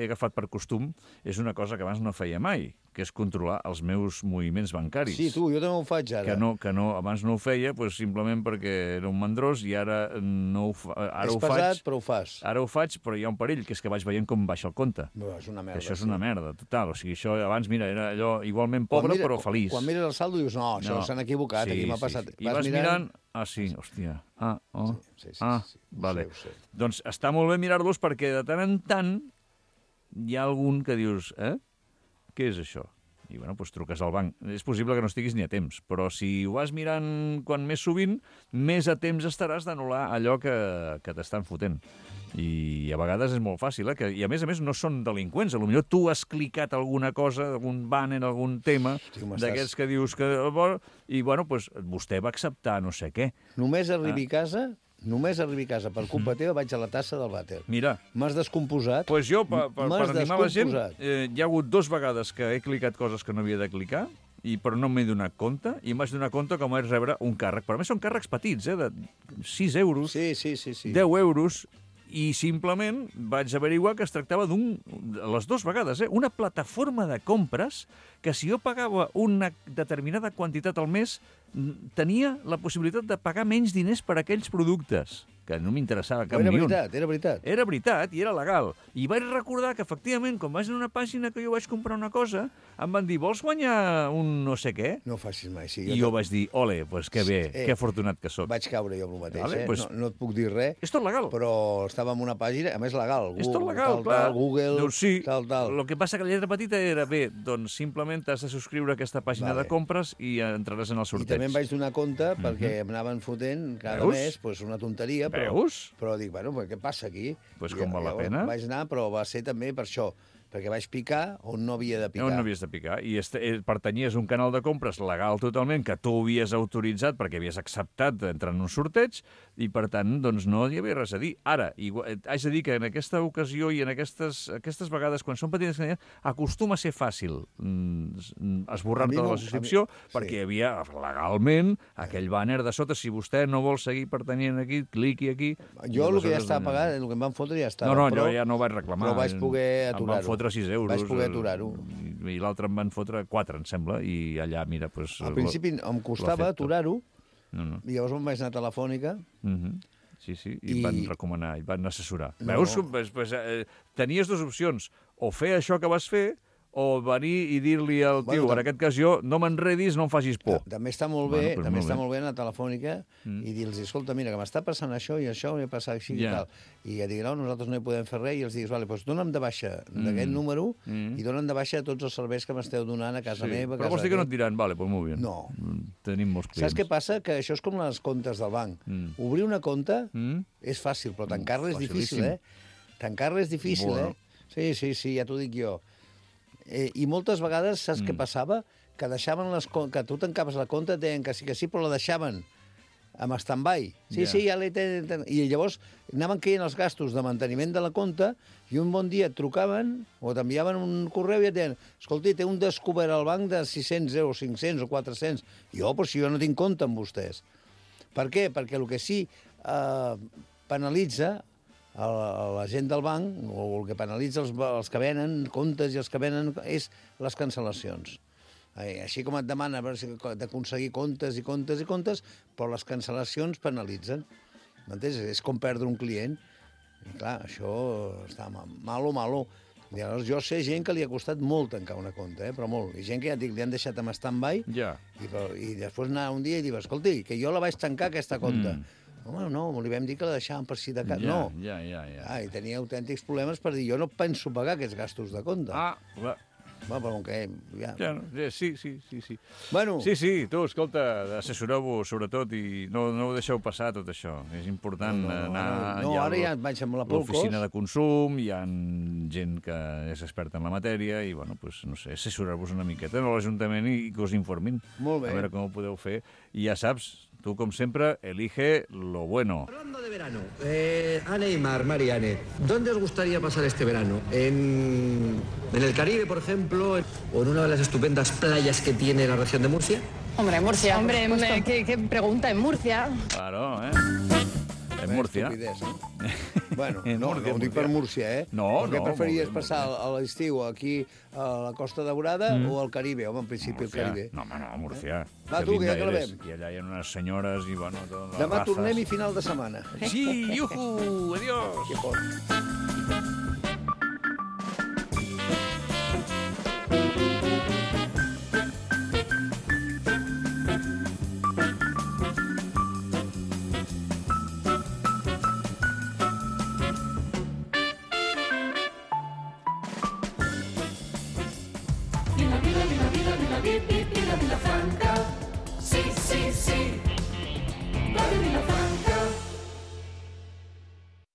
C: agafat per costum és una cosa que abans no feia mai, que és controlar els meus moviments bancaris.
D: Sí, jo també ho faig ara.
C: Que abans no ho feia, simplement perquè era un mandrós i ara no ho faig.
D: És pesat, però ho fas.
C: Ara ho faig, però hi ha un perill, que és que vaig veient com baixa el compte.
D: És una merda.
C: Això és una merda, total. O sigui, això abans, mira, era allò igualment pobre, però feliç.
D: Quan mires el saldo dius, no, això s'han equivocat, aquí m'ha passat.
C: I vas mirant... sí, hòstia. Vale. Doncs està molt bé mirar-los perquè de tant en tant hi ha algun que dius, què és això? I, bueno, doncs truques al banc. És possible que no estiguis ni a temps, però si ho vas mirant quan més sovint, més a temps estaràs d'anul·lar allò que t'estan fotent. I a vegades és molt fàcil, i a més no són delinqüents. Potser tu has clicat alguna cosa, algun banner, algun tema, d'aquests que dius que... I, bueno, doncs vostè va acceptar no sé què.
D: Només arribi a casa per culpa teva vaig a la tassa del vàter.
C: Mira.
D: M'has descomposat.
C: Doncs jo, per animar la gent, hi ha hagut 2 vegades que he clicat coses que no havia de clicar, però no m'he donat compte, i em vaig donar compte que vaig rebre un càrrec. Però a més són càrrecs petits, de 6 euros, 10 euros, i simplement vaig averiguar que es tractava les 2 vegades, una plataforma de compres que si jo pagava una determinada quantitat al mes tenia la possibilitat de pagar menys diners per aquells productes, que no m'interessava cap ni un.
D: Era veritat.
C: Era veritat i era legal. I vaig recordar que, efectivament, quan vaig a una pàgina que jo vaig comprar una cosa, em van dir, vols guanyar un no sé què?
D: No ho facis mai, sí.
C: I jo vaig dir, ole, doncs que bé, que afortunat que sóc.
D: Vaig caure jo amb el mateix, no et puc dir res.
C: És tot legal.
D: Però estava en una pàgina, a més legal.
C: És tot legal, clar.
D: Google, tal.
C: El que passa que la lletra petita era, bé, doncs simplement t'has de subscriure a aquesta pàgina de compres i entraràs en el sorteig.
D: I també em vaig donar compte, perquè em anaven fotent cada mes una tonteria, però dic, bueno, què passa aquí?
C: Doncs com val la pena.
D: Vaig anar, però va ser també per això, perquè vaig picar on no havia de picar.
C: On no havies de picar. I pertanyies a un canal de compres legal totalment, que tu havies autoritzat perquè havies acceptat d'entrar en un sorteig, i per tant, doncs no hi havia res a dir. Ara, haig de dir que en aquesta ocasió i en aquestes vegades, quan són petites cantidats, acostuma a ser fàcil esborrar-te de la subscripció, perquè hi havia legalment aquell banner de sota, si vostè no vol seguir pertanyent aquí, cliqui aquí.
D: Jo el que ja estava pagat, el que em van fotre ja estava.
C: No, jo ja no vaig reclamar.
D: Però vaig poder aturar-ho.
C: Em van fotre 6 euros.
D: Vaig poder aturar-ho.
C: i l'altre em van fotre 4, em sembla, i allà, mira... Pues,
D: al principi em costava aturar-ho, i llavors em vaig anar a Telefònica...
C: Sí, i van recomanar, i van assessorar. Veus? Pues, tenies dues opcions, o fer això que vas fer, o venir i dir-li al tio, en aquest cas jo, no m'enredis, no em facis por.
D: També està molt bé, molt bé anar a Telefònica i dir-los, escolta, mira, que m'està passant això i això, m'ha passat així i tal. I ja diguin, no, nosaltres no hi podem fer res, i els diguis, vale, doncs dona'm de baixa d'aquest número i dona'm de baixa tots els serveis que m'esteu donant a casa meva.
C: Però vols dir que no et diran, vale, doncs molt bé.
D: No.
C: Tenim molts clients.
D: Saps què passa? Que això és com les comptes del banc. Obrir una compte és fàcil, però tancar-la és difícil, Tancar-la és difícil, Sí, ja t'ho dic jo. I moltes vegades, saps què passava? Que deixaven que tu tancaves la compte, deien que sí, però la deixaven amb stand-by. Sí, ja l'he... I llavors anaven caient els gastos de manteniment de la compte i un bon dia et trucaven o t'enviaven un correu i et deien, escolti, té un descobert al banc de 600 euros, 500 o 400. Jo, però si jo no tinc compte amb vostès. Per què? Perquè el que sí penalitza la gent del banc, o el que penalitza els que venen comptes i els que venen, és les cancel·lacions. Així com et demana d'aconseguir comptes i comptes i comptes, però les cancel·lacions penalitzen. M'entens? És com perdre un client. I clar, això està malo. I llavors jo sé gent que li ha costat molt tancar una compte, però molt. I gent que ja et dic, li han deixat amb stand-by i després anar un dia i dir, escolti, que jo la vaig tancar aquesta compte. Home, no, li vam dir que la deixàvem per si de cas. No. I tenia autèntics problemes per dir, jo no penso pagar aquests gastos de compte.
C: Clar.
D: Però com que...
C: Sí.
D: Bueno.
C: Sí, tu, escolta, assessoreu-vos sobretot i no ho deixeu passar tot això. És important anar...
D: Ara ja vaig amb la Polcos.
C: L'oficina de consum, hi ha gent que és experta en la matèria i, bueno, pues, no sé, assessorar-vos una miqueta a l'Ajuntament i que us informin.
D: Molt bé.
C: A veure com ho podeu fer. I ja saps, tú, como siempre, elige lo bueno.
G: Hablando de verano, Anne y Marianne, ¿dónde os gustaría pasar este verano? ¿En el Caribe, por ejemplo? ¿O en una de las estupendas playas que tiene la región de Murcia?
F: Hombre, Murcia. Hombre, ¿qué pregunta? En Murcia.
C: Claro, En Múrcia.
D: Bueno, no ho dic per Múrcia,
C: No,
D: Què preferies passar a l'estiu aquí a la Costa Daurada o al Caribe? Home, en principi al Caribe.
C: No, Múrcia.
D: Va, tu, que ja acabem.
C: I allà hi ha unes senyores i, bueno...
D: Demà tornem i final de setmana.
C: Sí, iuhu, adiós.
D: Que fort.